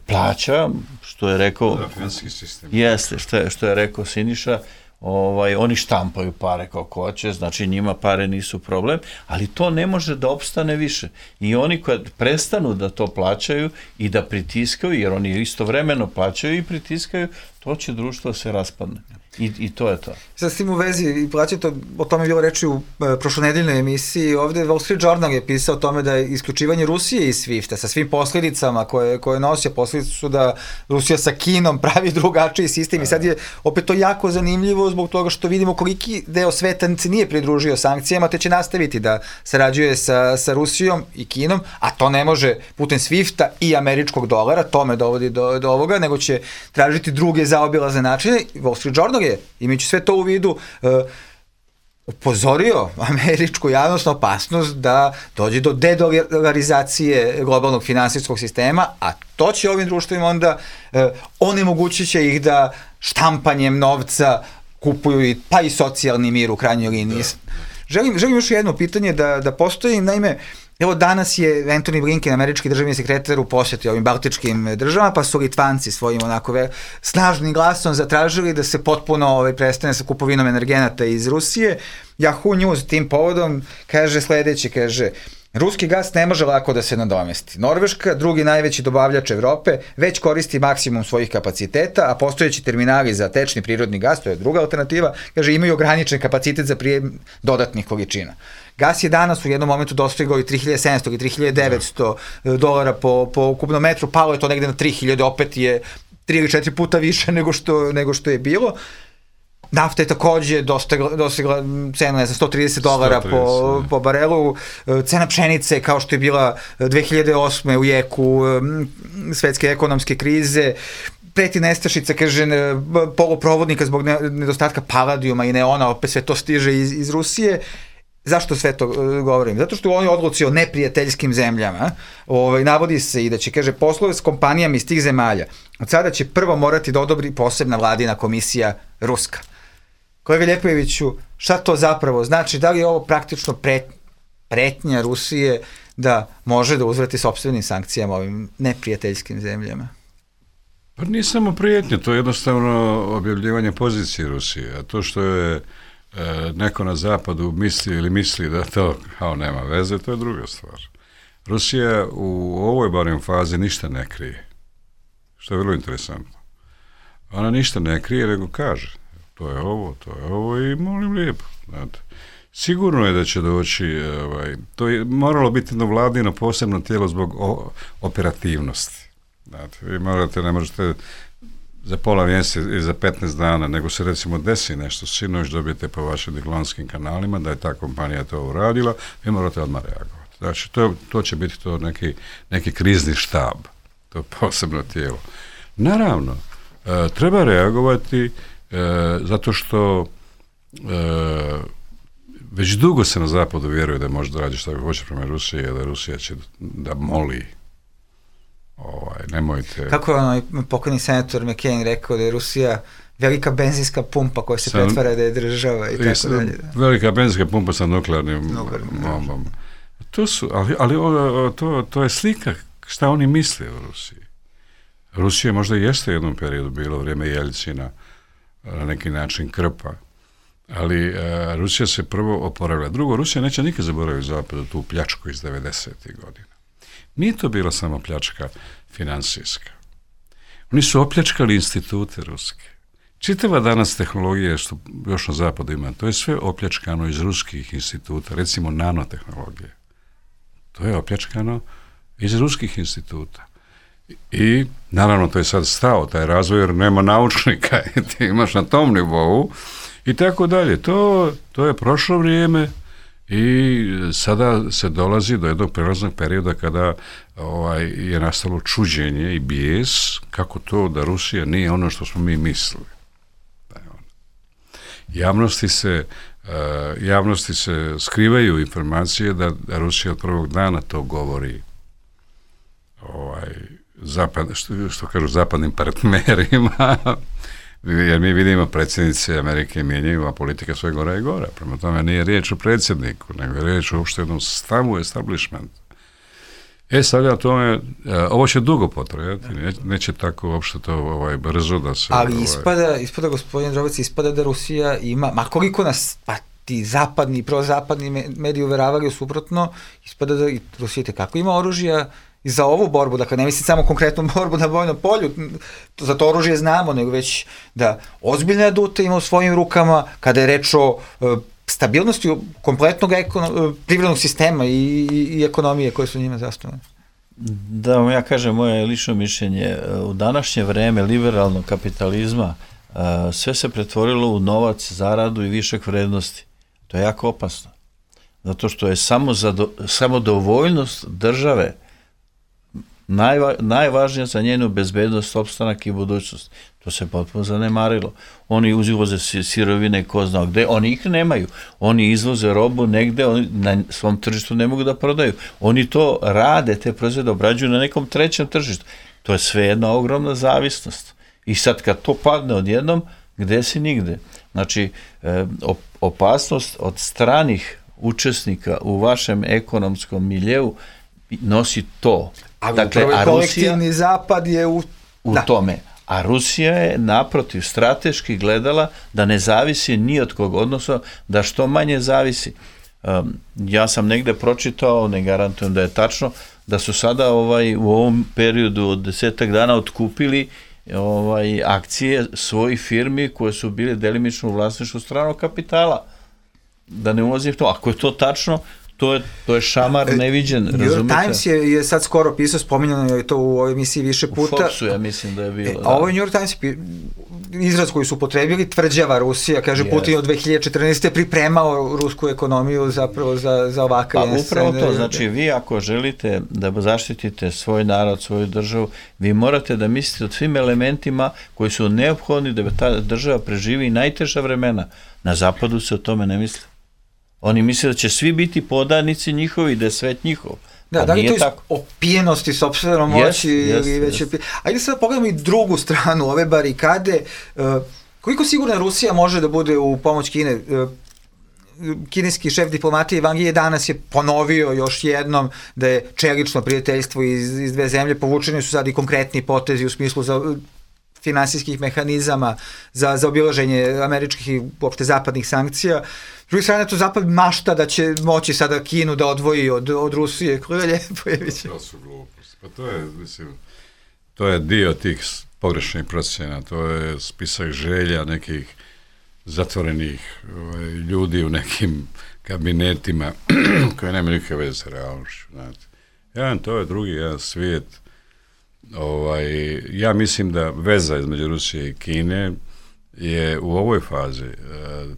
plaća, što je rekao, finansijski sistem. Jeste, što je, što je rekao Siniša, ovaj, oni štampaju pare kako hoće, znači njima pare nisu problem, ali to ne može da opstane više. I oni kad prestanu da to plaćaju i da pritiskaju, jer oni istovremeno plaćaju i pritiskaju, to će društvo se raspadne. I, i to je to. Sad s tim u vezi, i plaćate, o tome je bilo reči u e, prošlonedeljnoj emisiji, ovde Wall Street Journal je pisao o tome da je isključivanje Rusije iz svifta sa svim posljedicama koje, koje nosi, posljedice su da Rusija sa Kinom pravi drugačiji sistem i sad je opet to jako zanimljivo zbog toga što vidimo koliki deo sveta se nije pridružio sankcijama, te će nastaviti da sarađuje sa, sa Rusijom i Kinom, a to ne može putem svifta i američkog dolara, to me dovodi do, do ovoga, nego će tražiti druge zaobilazne načine. Wall Street Journal je, imajući sve to u vidu, uh, upozorio američku javnost na opasnost da dođe do dedolarizacije globalnog finansijskog sistema, a to će ovim društvima onda uh, onemogućit će ih da štampanjem novca kupuju i, pa i socijalni mir u krajnjoj liniji. Želim, želim još jedno pitanje da, da postoji, naime, evo danas je Antony Blinken, američki državni sekretar, u posjeti ovim baltičkim državama, pa su Litvanci svojim onako ve, snažnim glasom zatražili da se potpuno ovaj, prestane sa kupovinom energenata iz Rusije. Yahoo News tim povodom kaže sledeće, kaže: ruski gas ne može lako da se nadomesti. Norveška, drugi najveći dobavljač Evrope, već koristi maksimum svojih kapaciteta, a postojeći terminali za tečni prirodni gas, to je druga alternativa, kaže, imaju ograničen kapacitet za prijem dodatnih količina. Gas je danas u jednom momentu dostigao i tri hiljade sedamsto i tri hiljade devetsto dolara po, po kubnom metru, palo je to negde na tri hiljade, opet je tri ili četiri puta više nego što, nego što je bilo. Nafta je takođe dostigla, dostigla cenu, ne znam, sto trideset dolara po, po barelu. Cena pšenice, kao što je bila dve hiljade osme u jeku svetske ekonomske krize, preti nestašica, kaže, poluprovodnika zbog nedostatka paladijuma i neona, opet sve to stiže iz, iz Rusije. Zašto sve to govorim? Zato što u ovoj odluci o neprijateljskim zemljama ovaj, navodi se i da će, kaže, poslove s kompanijama iz tih zemalja od sada će prvo morati da odobri posebna vladina komisija ruska. Kolega Ljepojeviću, šta to zapravo znači? Da li je ovo praktično pret, pretnja Rusije da može da uzvrati sopstvenim sankcijama ovim neprijateljskim zemljama? Pa nije samo prijetnje, to je jednostavno objavljivanje pozicije Rusije, a to što je neko na zapadu misli ili misli da to kao nema veze, to je druga stvar. Rusija u ovoj barem fazi ništa ne krije, što je vrlo interesantno. Ona ništa ne krije, nego kaže, to je ovo, to je ovo i molim lijepo. Znate. Sigurno je da će doći, ovaj, to je moralo biti jedno vladino posebno tijelo zbog o, operativnosti. Znate, vi morate, ne možete za pola mjeseca i za petnaest dana, nego se recimo desi nešto, sinoć dobijete po vašim diplomatskim kanalima da je ta kompanija to uradila, vi morate odmah reagovati. Znači, to, to će biti to neki, neki krizni štab, to je posebno tijelo. Naravno, e, treba reagovati e, zato što e, već dugo se na zapadu vjeruje da može da radi što hoće prema Rusiji, da Rusija će da moli. Ovaj, nemojte... Kako je onaj pokojni senator McCain rekao da je Rusija velika benzinska pumpa koja se sa, pretvara da je država i tako dalje. Da. Velika benzinska pumpa sa nuklearnim bombama. To su, ali, ali o, to, to je slika šta oni misle o Rusiji. Rusija možda jeste u jednom periodu bilo vrijeme Jeljcina na neki način krpa, ali a, Rusija se prvo oporavila. Drugo, Rusija neće nikad zaboraviti zapadu tu pljačku iz devedesetih godina. Nije to bila samo pljačka finansijska. Oni su opljačkali institute ruske. Čitava danas tehnologija što još na zapadu ima, to je sve opljačkano iz ruskih instituta, recimo nanotehnologije. To je opljačkano iz ruskih instituta. I naravno to je sad stao, taj razvoj, jer nema naučnika i ti imaš na tom nivou i tako dalje. To, to je prošlo vrijeme. I sada se dolazi do jednog prelaznog perioda kada ovaj, je nastalo čuđenje i bijes kako to da Rusija nije ono što smo mi mislili. Javnosti se, uh, javnosti se skrivaju informacije da, da Rusija od prvog dana to govori ovaj, zapad, što, što kažu zapadnim partnerima, jer mi vidimo predsjednice Amerike mijenjaju, a politika sve gora i gora. Prema tome nije riječ o predsjedniku, nego je riječ o uopšte jednom stavu establishmentu. E, sad ja tome, ovo će dugo potrajati, neće, neće tako uopšte to ovaj, brzo da se... Ali ovaj... ispada, ispada gospodin Drobec, ispada da Rusija ima, ma koliko nas, pa ti zapadni, prozapadni mediji uveravali suprotno, ispada da Rusija tekako ima oružja i za ovu borbu, dakle ne mislim samo konkretnu borbu na vojnom polju, za to oružje znamo, nego već da ozbiljne adute ima u svojim rukama kada je reč o stabilnosti kompletnog ekono, privrednog sistema i, i, i ekonomije koje su njima zasnovane. Da vam ja kažem moje lično mišljenje, u današnje vreme liberalnog kapitalizma sve se pretvorilo u novac, zaradu i višak vrednosti. To je jako opasno. Zato što je samo, zado, samo dovoljnost države najva, najvažnija za njenu bezbednost, opstanak i budućnost. To se potpuno zanemarilo. Oni uzivoze sirovine ko zna gde, oni ih nemaju. Oni izvoze robu negde, oni na svom tržištu ne mogu da prodaju. Oni to rade, te proizvode obrađuju na nekom trećem tržištu. To je sve jedna ogromna zavisnost. I sad kad to padne odjednom, gde si nigde? Znači, opasnost od stranih učesnika u vašem ekonomskom miljeu nosi to. Ali dakle, upravo je kolektivni zapad je u, u da. tome. A Rusija je naprotiv strateški gledala da ne zavisi ni od kog, odnosno da što manje zavisi. Um, ja sam negde pročitao, ne garantujem da je tačno, da su sada ovaj, u ovom periodu od desetak dana otkupili ovaj, akcije svojih firmi koje su bile delimično u vlasništvu stranog kapitala. Da ne ulazim to. Ako je to tačno, to je, to je šamar neviđen, razumete? New York Times je, je sad skoro pisao, spominjano je to u ovoj emisiji više puta. U Foxu ja mislim da je bilo. E, a ovo je New York Times izraz koji su upotrebili, tvrđava Rusija, kaže yes. Putin od dve hiljade četrnaeste. pripremao rusku ekonomiju zapravo za, za ovakav pa upravo to, znači vi ako želite da zaštitite svoj narod, svoju državu, vi morate da mislite o svim elementima koji su neophodni da ta država preživi najteža vremena. Na zapadu se o tome ne misli. Oni misle da će svi biti podanici njihovi, da je svet njihov. Da, da li to iz opijenosti sopstvenom moći yes, ili yes, već... Yes. Ajde sad pogledamo i drugu stranu ove barikade. Koliko sigurna Rusija može da bude u pomoć Kine? Kineski šef diplomatije Wang Yi danas je ponovio još jednom da je čelično prijateljstvo iz, iz dve zemlje. Povučeni su sad i konkretni potezi u smislu za finansijskih mehanizama za, za obilaženje američkih i uopšte zapadnih sankcija. S druge strane, to zapad mašta da će moći sada Kinu da odvoji od, od Rusije. Koje je lijepo je biće. To su gluposti. Pa to je, mislim, to je dio tih pogrešnih procjena. To je spisak želja nekih zatvorenih ovaj, ljudi u nekim kabinetima koje nema nikakve veze sa realnošću. Znate. Jedan, to je drugi, jedan svijet. Ovaj, ja mislim da veza između Rusije i Kine je u ovoj fazi e,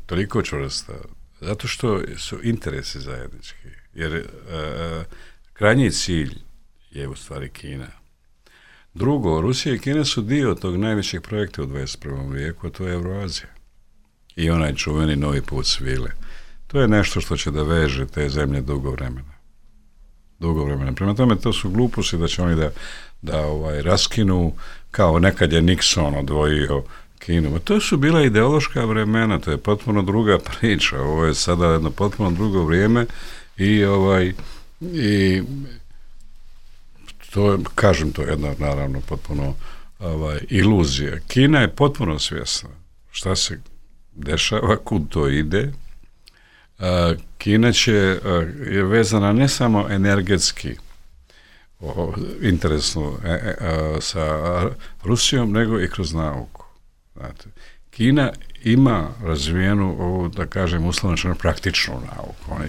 toliko čvrsta, zato što su interesi zajednički, jer e, krajnji cilj je u stvari Kina. Drugo, Rusija i Kina su dio tog najvećeg projekta u dvadeset prvom vijeku, a to je Evroazija. I onaj čuveni novi put svile. To je nešto što će da veže te zemlje dugo vremena. Dugo vremena. Prema tome, to su gluposti da će oni da, da ovaj, raskinu, kao nekad je Nixon odvojio Kinu. Ma to su bila ideološka vremena, to je potpuno druga priča. Ovo je sada jedno potpuno drugo vrijeme i ovaj i to je, kažem, to je jedna naravno potpuno ovaj, iluzija. Kina je potpuno svjesna šta se dešava, kud to ide. Kina će, je vezana ne samo energetski o, interesno e, e, sa Rusijom, nego i kroz nauku. Znate, Kina ima razvijenu ovu, da kažem, uslovno praktičnu nauku, oni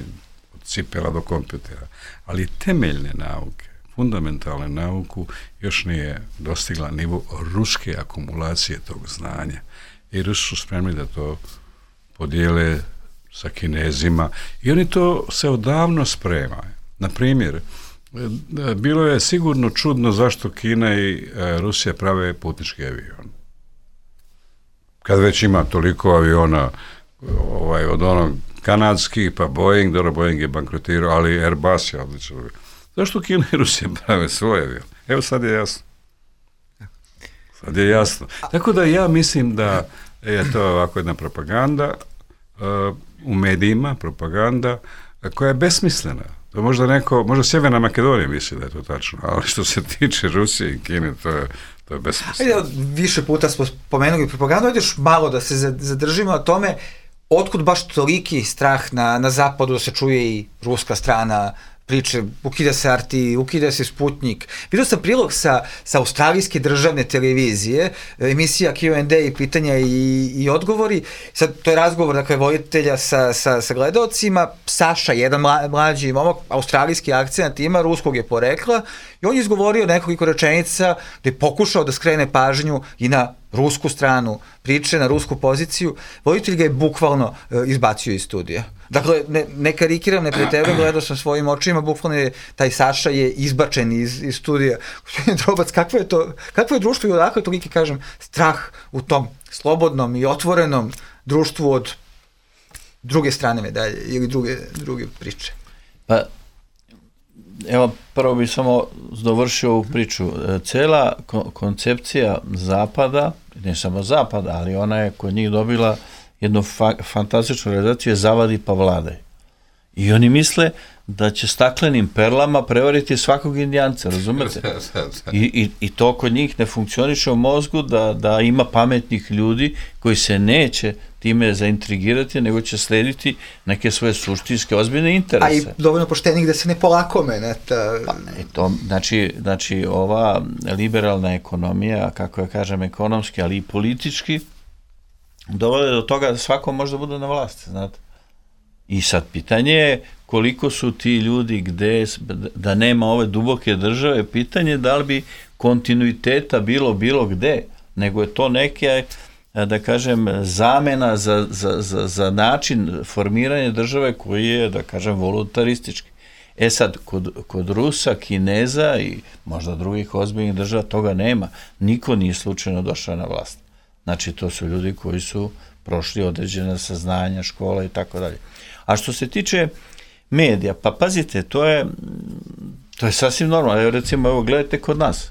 od cipela do kompjutera, ali temeljne nauke, fundamentalne nauku još nije dostigla nivo ruske akumulacije tog znanja. I Rusi su spremni da to podijele sa Kinezima i oni to se odavno spremaju. Na primjer, bilo je sigurno čudno zašto Kina i Rusija prave putnički avion. Kad već ima toliko aviona ovaj, od onog kanadskih, pa Boeing, dobro, Boeing je bankrotirao, ali Airbus je odlično. Zašto Kina i Rusija prave svoj avion? Evo sad je jasno. Sad je jasno. Tako da ja mislim da je to ovako jedna propaganda uh, u medijima, propaganda koja je besmislena. To možda neko, možda Sjeverna Makedonija misli da je to tačno, ali što se tiče Rusije i Kine, to je, to je besmisleno. Više puta smo spomenuli propagandu, ajde još malo da se zadržimo na tome otkud baš toliki strah na, na zapadu da se čuje i ruska strana priče, ukida se R T, ukida se Sputnik. Vidio sam prilog sa, sa australijske državne televizije, emisija Q and A i pitanja i, i odgovori. Sad, to je razgovor, dakle, voditelja sa, sa, sa gledalcima. Saša, jedan mla, mlađi momak, australijski akcent ima, ruskog je porekla, i on je izgovorio nekoliko rečenica gde je pokušao da skrene pažnju i na rusku stranu priče, na rusku poziciju. Voditelj ga je bukvalno uh, izbacio iz studija. Dakle, ne, ne karikiram, ne preterujem, gledao sam svojim očima, bukvalno je, taj Saša je izbačen iz, iz studija. Gospodin Drobac, kakvo je to, kakvo je društvo i odakle toliki, kažem, strah u tom slobodnom i otvorenom društvu od druge strane medalje ili druge, druge priče? Pa, evo, prvo bih samo dovršio ovu priču. Cela ko- koncepcija Zapada, ne samo Zapada, ali ona je kod njih dobila jednu fa- fantastičnu realizaciju, je zavadi pa vladaj. I oni misle da će staklenim perlama prevariti svakog Indijanca, razumete? I, i, I to kod njih ne funkcioniše u mozgu da, da ima pametnih ljudi koji se neće time zaintrigirati, nego će slediti neke svoje suštinske, ozbiljne interese. A i dovoljno poštenih da se ne polakome. Ne, ta... Pa, to, znači, znači, ova liberalna ekonomija, kako ja kažem, ekonomski, ali i politički, dovode do toga da svako može da bude na vlasti, znate. I sad pitanje je koliko su ti ljudi gde, da nema ove duboke države, pitanje je da li bi kontinuiteta bilo bilo gde, nego je to neke, da kažem, zamena za, za, za, za način formiranja države koji je, da kažem, voluntaristički. E sad, kod, kod Rusa, Kineza i možda drugih ozbiljnih država toga nema. Niko nije slučajno došao na vlast. Znači, to su ljudi koji su prošli određena saznanja, škola i tako dalje. A što se tiče medija, pa pazite, to je, to je sasvim normalno. Evo, recimo, evo, gledajte kod nas.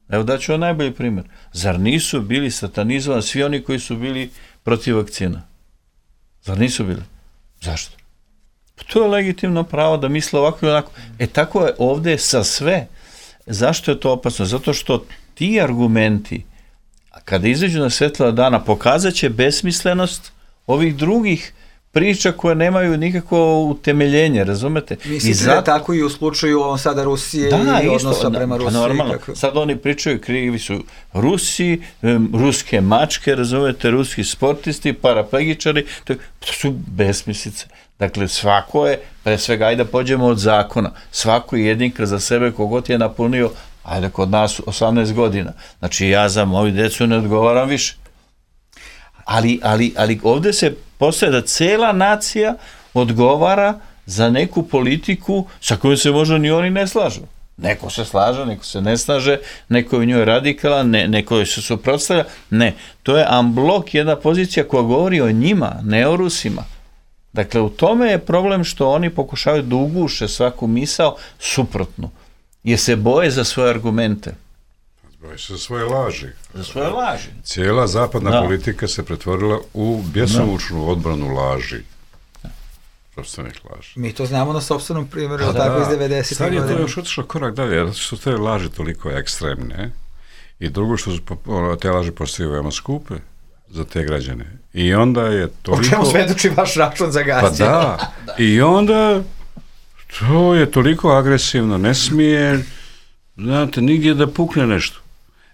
Evo, daću vam najbolji primjer. Zar nisu bili satanizovani svi oni koji su bili protiv vakcina? Zar nisu bili? Zašto? Pa to je legitimno pravo da misle ovako i onako. E, tako je ovde sa sve. Zašto je to opasno? Zato što ti argumenti, kada izađu na svetla dana, pokazat će besmislenost ovih drugih priča koje nemaju nikakvo utemeljenje, razumete? Mislite I zato... da je tako i u slučaju ovom sada Rusije da, i odnosa prema Rusiji? Normalno, kako... sad oni pričaju, krivi su Rusi, um, ruske mačke, razumete, ruski sportisti, paraplegičari, to, to su besmislice. Dakle, svako je, pre svega, ajde da pođemo od zakona, svako je jedinka za sebe kogod je napunio, ajde kod nas osamnaest godina. Znači, ja za moju decu ne odgovaram više. Ali, ali, ali ovde se postaje da cela nacija odgovara za neku politiku sa kojom se možda ni oni ne slažu. Neko se slaže, neko se ne slaže, neko je u njoj radikalan, ne, neko se suprotstavlja. Ne, to je amblok, jedna pozicija koja govori o njima, ne o Rusima. Dakle, u tome je problem što oni pokušavaju da uguše svaku misao suprotnu, jer se boje za svoje argumente. Boje se za svoje laži. Za svoje laži. Cijela zapadna da. politika se pretvorila u bjesomučnu odbranu laži. Sopstvenih laži. Mi to znamo na sopstvenom primjeru, da, tako iz devedesetih godina. Sad je to još otišlo korak dalje, zato što te laži toliko ekstremne i drugo što su te laži postaju veoma skupe za te građane. I onda je toliko... O čemu svedoči vaš račun za gas? Pa da. I onda to je toliko agresivno, ne smije, znate, nigdje da pukne nešto.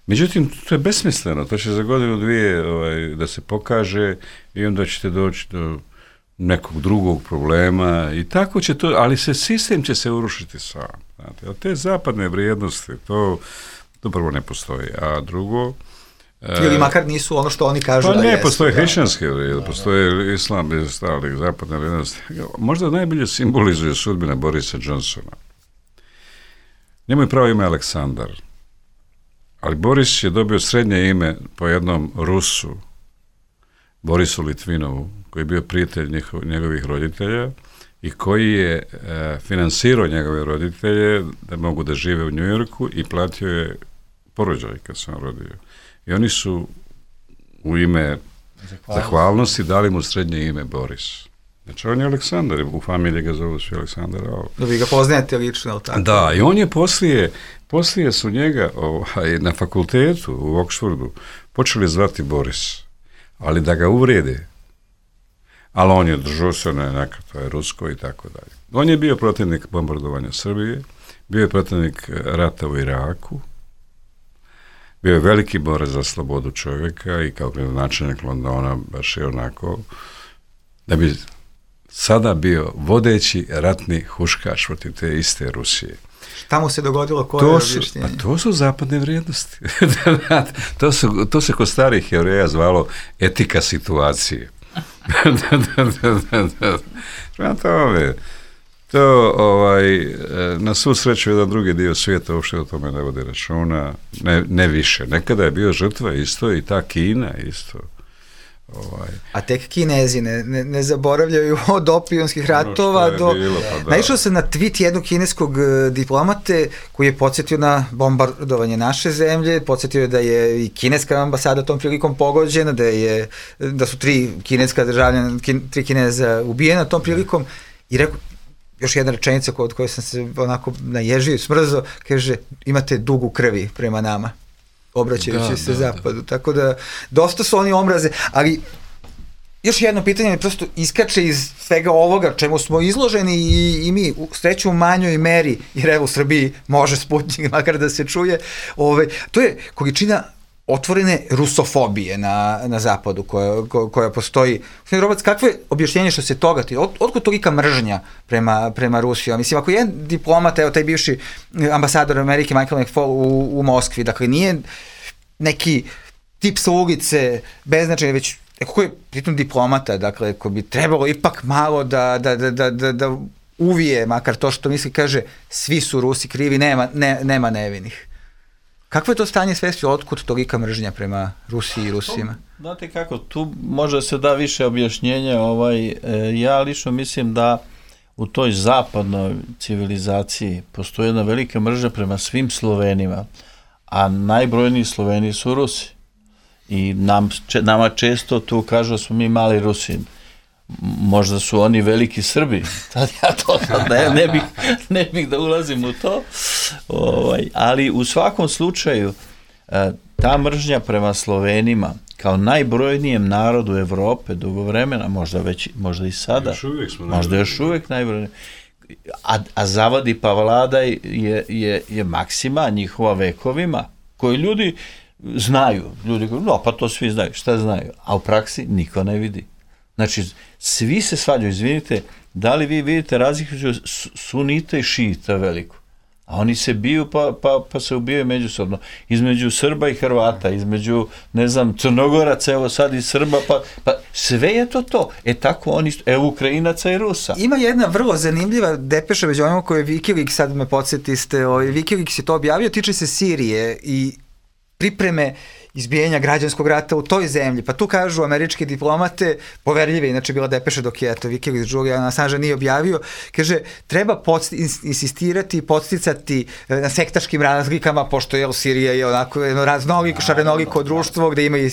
Međutim, to je besmisleno, to će za godinu dvije ovaj, da se pokaže i onda ćete doći do nekog drugog problema i tako će to, ali se sistem će se urušiti sam. Znate, a te zapadne vrijednosti, to, to prvo ne postoji, a drugo... Ili makar nisu ono što oni kažu pa da ne, jesu. postoje hrišćanske vrijednosti, postoje islam i stali zapadne vrijednosti. Možda najbolje simbolizuje sudbina Borisa Johnsona. Njemu je pravo ime Aleksandar. Ali Boris je dobio srednje ime po jednom Rusu, Borisu Litvinovu, koji je bio prijatelj njihov, njegovih roditelja i koji je e, finansirao njegove roditelje da mogu da žive u Njujorku i platio je porođaj kad sam rodio. I oni su u ime zahvalnosti, zahvalnosti dali mu srednje ime Boris. Znači, on je Aleksandar, u familiji ga zovu svi Aleksandar. Da vi ga poznajete lično, ali tako? Da, i on je poslije, poslije su njega ovaj, na fakultetu u Oxfordu počeli zvati Boris, ali da ga uvrede. Ali on je držao se na nekako, to je rusko i tako dalje. On je bio protivnik bombardovanja Srbije, bio je protivnik rata u Iraku, bio je veliki borac za slobodu čovjeka i kao gradonačelnik Londona baš je onako da bi sada bio vodeći ratni huškaš protiv te iste Rusije. Šta mu se dogodilo, koje je objašnjenje? Pa to su zapadne vrijednosti. to, su, to se kod starih Jevreja zvalo etika situacije. da, da, da, da, da. Prema tome, to ovaj, na svu sreću jedan drugi dio svijeta uopšte o tome ne vodi računa, ne, ne više. Nekada je bio žrtva isto i ta Kina isto. Ovaj. A tek Kinezi ne, ne, ne zaboravljaju od opijunskih ratova do... Bilo, pa da. Naišao sam na tweet jednog kineskog diplomate koji je podsjetio na bombardovanje naše zemlje, podsjetio je da je i kineska ambasada tom prilikom pogođena, da, je, da su tri kineska državljana, kin, tri Kineza ubijena tom prilikom i rekao, još jedna rečenica od koje sam se onako naježio i smrzo, kaže, imate dugu krvi prema nama, obraćajući da, se da, zapadu. Da. Tako da, dosta su oni omraze, ali još jedno pitanje mi prosto iskače iz svega ovoga čemu smo izloženi i, i mi u sreću u manjoj meri, jer evo u Srbiji može Sputnik makar da se čuje, ove, to je količina otvorene rusofobije na, na zapadu koja, koja postoji. Robac, kakvo je objašnjenje što se toga ti? Od, otkud tolika mržnja prema, prema Rusiji? Mislim, ako je diplomat, evo taj bivši ambasador Amerike Michael McFaul u, u Moskvi, dakle nije neki tip sa ulice, beznačajni, već neko je pritom diplomata, dakle, ko bi trebalo ipak malo da, da, da, da, da, da uvije, makar to što misli, kaže, svi su Rusi krivi, nema, ne, nema nevinih. Kakvo je to stanje svesti, otkud tolika mržnja prema Rusiji i Rusima? Znate kako, tu može se da više objašnjenja, ovaj, e, ja lično mislim da u toj zapadnoj civilizaciji postoji jedna velika mržnja prema svim Slovenima, a najbrojniji Sloveni su Rusi. I nam, če, nama često tu kažu da smo mi mali Rusi. Možda su oni veliki Srbi, tad ja to ne, ne, bih, ne bih da ulazim u to, ovaj, ali u svakom slučaju ta mržnja prema Slovenima kao najbrojnijem narodu Evrope dugo vremena, možda već, možda i sada, još možda još uvijek najbrojnije, a, a zavadi pa vladaj je, je, je maksima njihova vekovima, koji ljudi znaju, ljudi koji, no pa to svi znaju, šta znaju, a u praksi niko ne vidi. Znači, svi se svađaju, izvinite, da li vi vidite razliku između sunita i šita veliku? A oni se biju pa, pa, pa se ubijaju međusobno. Između Srba i Hrvata, između, ne znam, Crnogoraca, evo sad i Srba, pa, pa sve je to to. E tako oni, evo Ukrajinaca i Rusa. Ima jedna vrlo zanimljiva depeša među onima koje Wikileaks, sad me podsjetiste, ovaj, Wikileaks je to objavio, tiče se Sirije i pripreme izbijenja građanskog rata u toj zemlji. Pa tu kažu američki diplomate, poverljive, inače bila depeša dok je to Wikileaks Julian Assange nije objavio, kaže, treba podst, insistirati i podsticati na sektaškim razlikama, pošto je Sirija je onako jedno raznoliko, šarenoliko društvo, gde ima i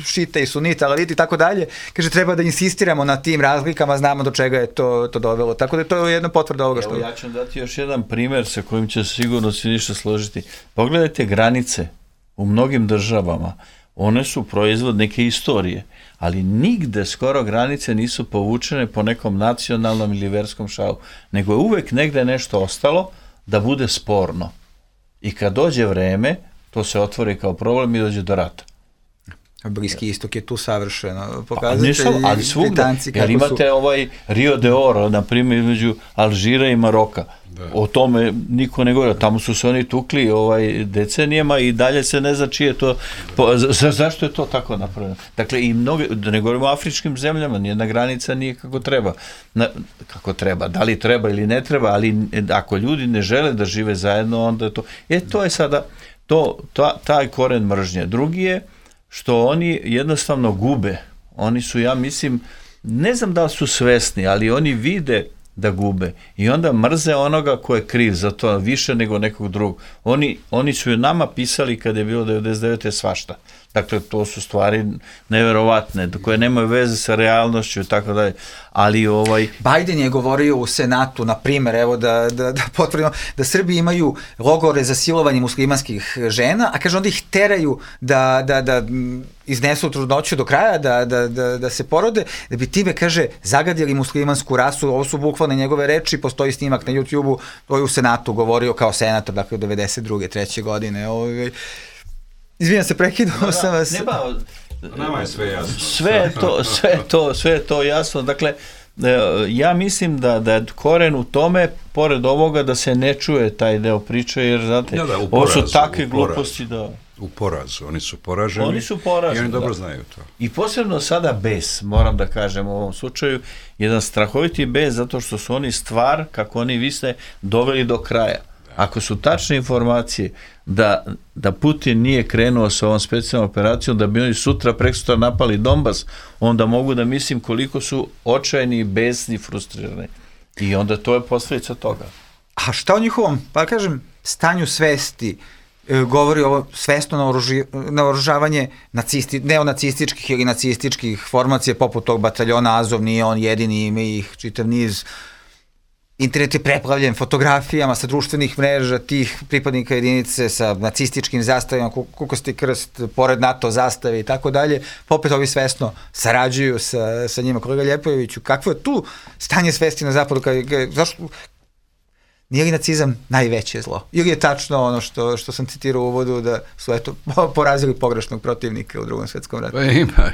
šita i sunita, alaliti i tako dalje. Kaže, treba da insistiramo na tim razlikama, znamo do čega je to, to dovelo. Tako da je to jedna potvrda ovoga što... Evo, ja ću dati još jedan primer sa kojim će sigurno svi ništa složiti. Pogledajte granice. U mnogim državama one su proizvod neke istorije, ali nigde skoro granice nisu povučene po nekom nacionalnom ili verskom šalu, nego je uvek negde nešto ostalo da bude sporno. I kad dođe vreme, to se otvori kao problem i dođe do rata. Bliski istok je tu savršeno. Pokazatelji, pa, ali svugda, jer imate su... ovaj Rio de Oro, na primjer, između Alžira i Maroka. Da. O tome niko ne govori, tamo su se oni tukli ovaj, decenijama i dalje se ne zna čije to, po, za, zašto je to tako napravljeno. Dakle, i mnoge, da ne govorimo o afričkim zemljama, nijedna granica nije kako treba. Na, kako treba, da li treba ili ne treba, ali ako ljudi ne žele da žive zajedno, onda je to, e, to je sada, to, ta, taj koren mržnje. Drugi je što oni jednostavno gube. Oni su, ja mislim, ne znam da li su svesni, ali oni vide da gube i onda mrze onoga ko je kriv za to više nego nekog drugog. Oni, oni su nama pisali kad je bilo devedeset devete svašta. Dakle, to su stvari neverovatne, koje nemaju veze sa realnošću i tako dalje. Ali ovaj... Biden je govorio u Senatu, na primjer, evo da, da, da potvrdimo, da Srbi imaju logore za silovanje muslimanskih žena, a kaže onda ih teraju da, da, da iznesu trudnoću do kraja, da, da, da, da se porode, da bi time, kaže, zagadili muslimansku rasu. Ovo su bukvalne njegove reči, postoji snimak na YouTube-u, to je u Senatu govorio kao senator, dakle u devedeset druge treće godine. Ovaj... Izvinjam se, prekidao sam vas. Ne ba, nama je sve jasno. Sve je to, sve je to, sve je to jasno. Dakle, ja mislim da, da je koren u tome, pored ovoga, da se ne čuje taj deo priče, jer, znate, ja, da, ovo su takve gluposti da... U porazu, oni su poraženi. Oni su poraženi, i oni dobro da. znaju to. I posebno sada bes, moram da kažem u ovom slučaju, jedan strahoviti bes, zato što su oni stvar, kako oni visne, doveli do kraja. Ako su tačne informacije da, da Putin nije krenuo sa ovom specijalnom operacijom, da bi oni sutra, preksutra napali Donbas, onda mogu da mislim koliko su očajni, besni, frustrirani. I onda to je posljedica toga. A šta o njihovom, pa kažem, stanju svesti e, govori ovo svesno naoruži, naoružavanje nacisti, neonacističkih ili nacističkih formacija, poput tog bataljona Azov, nije on jedini, ima ih čitav niz. Internet je preplavljen fotografijama sa društvenih mreža tih pripadnika jedinice sa nacističkim zastavima, kukosti krst, pored NATO zastave i tako dalje. Popet ovi svesno sarađuju sa, sa njima. Kolega Ljepojeviću, kakvo je tu stanje svesti na zapadu? Kad, zašto, nije li nacizam najveće zlo? Ili je tačno ono što, što sam citirao u uvodu, da su eto porazili pogrešnog protivnika u Drugom svjetskom ratu? Pa ima,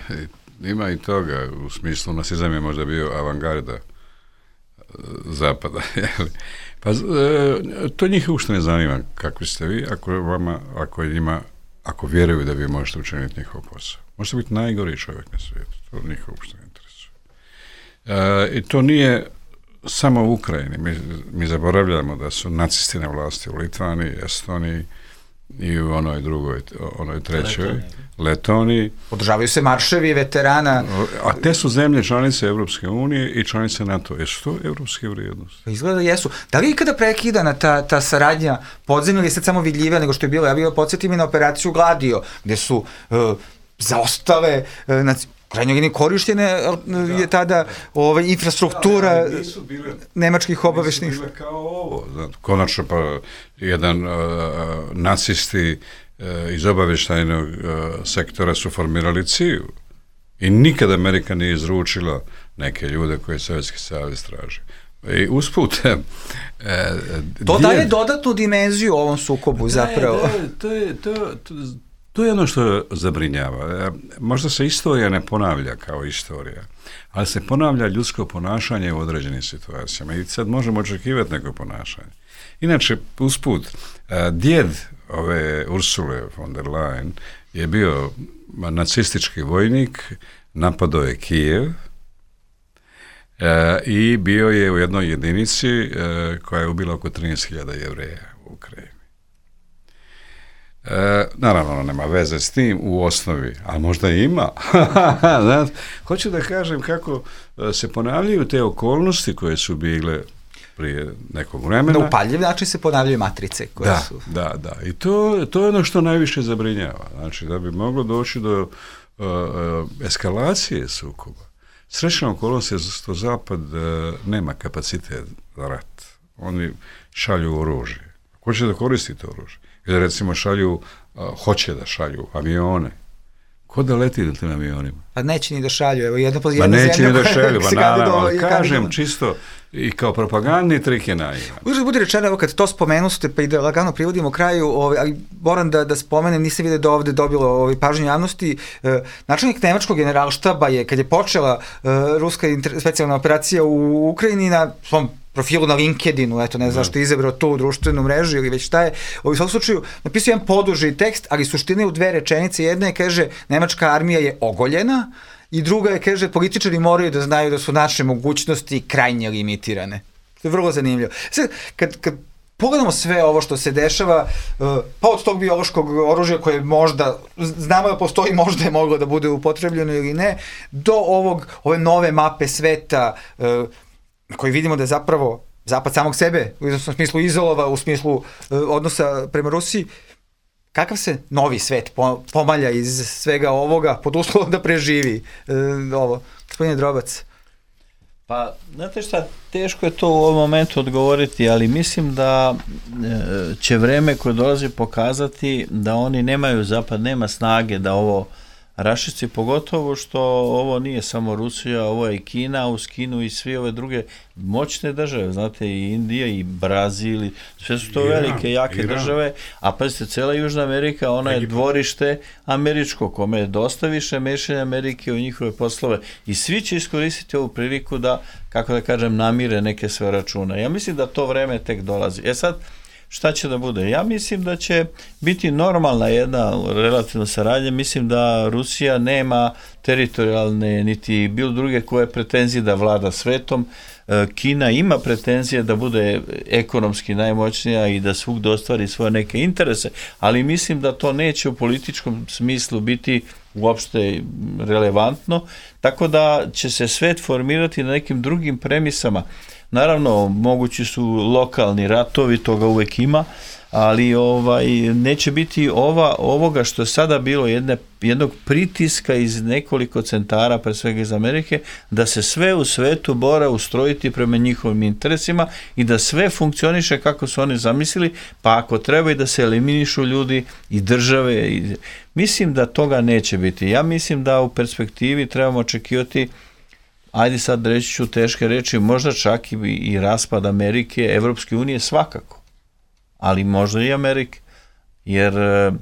ima i toga. U smislu, nacizam je možda bio avangarda zapada. Pa to njih uopšte ne zanima kakvi ste vi, ako vama, ako njima, ako vjeruju da vi možete učiniti njihov posao. Možete biti najgori čovjek na svijetu, to njih uopšte ne interesuje. E, I to nije samo u Ukrajini. Mi, mi zaboravljamo da su nacisti na vlasti u Litvaniji, Estoniji i u onoj drugoj, onoj trećoj, Letoniji. Letoniji. Održavaju se marševi veterana. A te su zemlje članice Evropske unije i članice NATO. Jesu to evropske vrijednosti? Izgleda jesu. Da li je ikada prekidana ta, ta saradnja podzemlja ili je sad samo vidljivija nego što je bilo? Ja bih podsjetim i na operaciju Gladio, gde su uh, zaostale uh, na krajnjoj liniji korištene uh, je tada ovaj, infrastruktura da, nisu bile, nemačkih obavešnih. Nisu bile kao ovo. Znači, konačno pa jedan uh, nacisti iz obavještajnog uh, sektora su formirali C I U i nikad Amerika nije izručila neke ljude koje Sovjetski savez traži. I usput e, to daje djed... dodatnu dimenziju ovom sukobu zapravo. Da, da, to, je, to, to, to je ono što zabrinjava. Možda se istorija ne ponavlja kao istorija, ali se ponavlja ljudsko ponašanje u određenim situacijama i sad možemo očekivati neko ponašanje. Inače, usput, djed ove Ursule von der Leyen je bio nacistički vojnik, napadao je Kijev e, i bio je u jednoj jedinici e, koja je ubila oko trinaest hiljada Jevreja u Ukrajini. E, naravno, ono nema veze s tim u osnovi, ali možda ima. Hoću da kažem kako se ponavljaju te okolnosti koje su bile prije nekog vremena. Na upaljiv način se ponavljaju matrice koje da, su... Da, da. I to, to je ono što najviše zabrinjava. Znači, da bi moglo doći do uh, uh, eskalacije sukoba. Srećna okolnost je što Zapad uh, nema kapacitet za rat. Oni šalju oružje. Ko će da koristi to oružje? Ili recimo šalju, uh, hoće da šalju avione. Ko da leti na tim avionima? Pa neće ni da šalju. Evo, jedna, jedna pa neće zemlja ni da šalju, pa naravno, ali kažem do... čisto i kao propagandni trik je naivan. Uzre budi rečeno, evo kad to spomenuste, pa i da lagano privodimo kraju, ovaj, ali moram da, da spomenem, nisam vidio da ovde dobilo ovaj, pažnju javnosti, e, načelnik nemačkog generalštaba je, kad je počela e, ruska inter, specijalna operacija u Ukrajini, na svom profilu na LinkedInu, eto, ne znam što je izabrao tu društvenu mrežu ili već šta je, u svakom slučaju napisao jedan poduži tekst, ali suština je u dve rečenice. Jedna je, kaže, nemačka armija je ogoljena, i druga je, kaže, političari moraju da znaju da su naše mogućnosti krajnje limitirane. To je vrlo zanimljivo. Sad, kad, kad pogledamo sve ovo što se dešava, pa od tog biološkog oružja koje možda, znamo da postoji, možda je moglo da bude upotrebljeno ili ne, do ovog, ove nove mape sveta, koji vidimo da je zapravo Zapad samog sebe, u smislu izolova, u smislu odnosa prema Rusiji, kakav se novi svet pomalja iz svega ovoga pod uslovom da preživi e, ovo? Gospodine Drobac. Pa, znate šta, teško je to u ovom momentu odgovoriti, ali mislim da će vreme koje dolazi pokazati da oni nemaju, Zapad nema snage da ovo raščisti, pogotovo što ovo nije samo Rusija, ovo je i Kina, uz Kinu i svi ove druge moćne države, znate, i Indija i Brazil, sve su to Iran, velike, jake Iran. države, a pazite, cela Južna Amerika, ona je dvorište američko, kome je dosta više mešanja Amerike u njihove poslove i svi će iskoristiti ovu priliku da, kako da kažem, namire neke sve račune. Ja mislim da to vreme tek dolazi. E sad, šta će da bude? Ja mislim da će biti normalna jedna relativna saradnja. Mislim da Rusija nema teritorijalne niti bilo druge koje pretenzije da vlada svetom. Kina ima pretenzije da bude ekonomski najmoćnija i da svugde ostvari svoje neke interese, ali mislim da to neće u političkom smislu biti uopšte relevantno, tako da će se svet formirati na nekim drugim premisama. Naravno, mogući su lokalni ratovi, toga uvek ima, ali ovaj neće biti ova, ovoga što je sada bilo jedne, jednog pritiska iz nekoliko centara, pre svega iz Amerike, da se sve u svetu mora ustrojiti prema njihovim interesima i da sve funkcioniše kako su oni zamislili, pa ako treba i da se eliminišu ljudi i države. I, mislim da toga neće biti. Ja mislim da u perspektivi trebamo očekivati, ajde sad reći ću teške reči, možda čak i, i raspad Amerike, Evropske unije svakako, ali možda i Amerike, jer uh,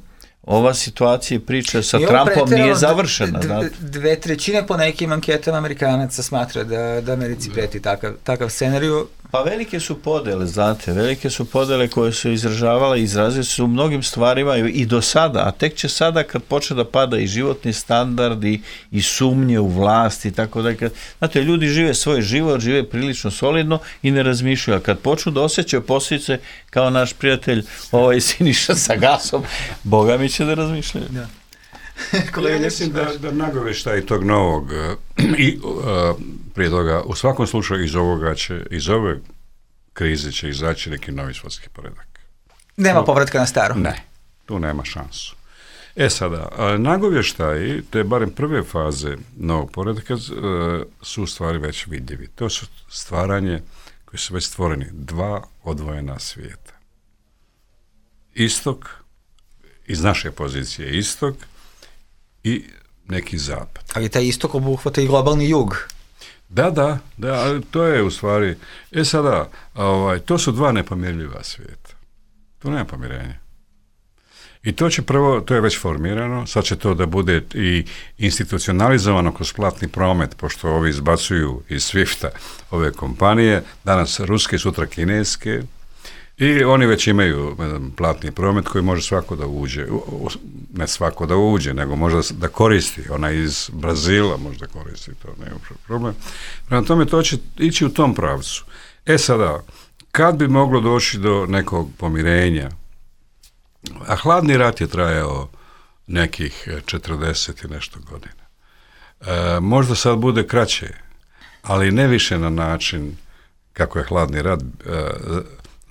ova situacija i priča sa Trumpom nije završena. D- d- dve trećine po nekim anketama Amerikanaca smatra da, da Americi preti takav, takav scenariju. Pa velike su podele, znate, velike su podele koje su izražavale i izrazile su u mnogim stvarima i do sada, a tek će sada kad počne da pada i životni standard i, i sumnje u vlast i tako da, kad, znate, ljudi žive svoj život, žive prilično solidno i ne razmišljaju, a kad počnu da osjećaju posljedice kao naš prijatelj ovaj Siniša sa gasom, Boga mi će da razmišljaju. Da. Ja mislim da, da nagoveštaj tog novog i uh, prije toga, u svakom slučaju iz ovoga će, iz ove krize će izaći neki novi svjetski poredak. Nema tu, povratka na staro? Ne, tu nema šansu. E sada, nagovještaji, te barem prve faze novog poredaka, uh, su u stvari već vidljivi. To su stvaranje koji su već stvoreni, dva odvojena svijeta. Istok, iz naše pozicije istok, i neki zapad. Ali taj istok obuhvata i globalni jug. Da, da, da, ali to je u stvari, e sada, ovaj, to su dva nepomirljiva svijeta. To nema pomirenja. I to će prvo, to je već formirano, sad će to da bude i institucionalizovano kroz platni promet, pošto ovi izbacuju iz Swifta ove kompanije, danas ruske, sutra kineske, i oni već imaju platni promet koji može svako da uđe, ne svako da uđe, nego možda da koristi, ona iz Brazila možda koristi, to nema problem. Prema tome to će ići u tom pravcu. E sada, kad bi moglo doći do nekog pomirenja, a hladni rat je trajao nekih četrdeset i nešto godina. E, možda sad bude kraće, ali ne više na način kako je hladni rat e,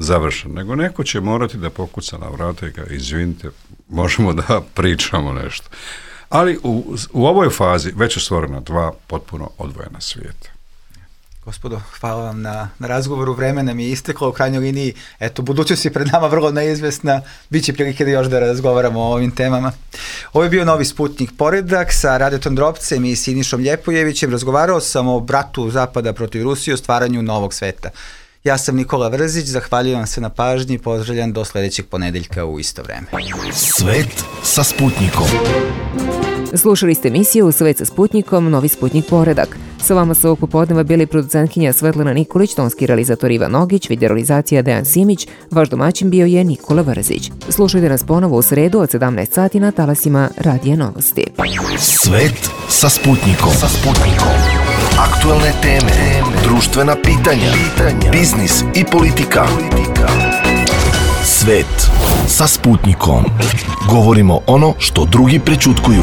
završen, nego neko će morati da pokuca na vrata i ga, izvinite, možemo da pričamo nešto. Ali u, u ovoj fazi već je stvorena dva potpuno odvojena svijeta. Gospodo, hvala vam na, na razgovoru, vreme nam je isteklo u krajnjoj liniji, eto, budućnost je pred nama vrlo neizvesna, bit će prilike da još da razgovaramo o ovim temama. Ovo je bio Novi Sputnik poredak sa Radetom Drobcem i Sinišom Ljepojevićem, razgovarao sam o bratu Zapada protiv Rusije, o stvaranju novog sveta. Ja sam Nikola Vrzić, zahvaljujem vam se na pažnji i pozdravljam do sljedećeg ponedeljka u isto vreme. Svet sa Sputnikom. Slušali ste emisiju Svet sa Sputnikom, Novi Sputnik poredak. Sa vama su ovog popodneva bili producentkinja Svetlana Nikolić, tonski realizator Ivan Ogić, videorealizacija Dejan Simić, vaš domaćin bio je Nikola Vrzić. Slušajte nas ponovo u sredu od sedamnaest sati na talasima Radija Novosti. Svet sa Sputnikom. Sa Sputnikom. Aktualne teme, društvena pitanja, biznis i politika. Svet sa Sputnikom. Govorimo ono što drugi prećutkuju.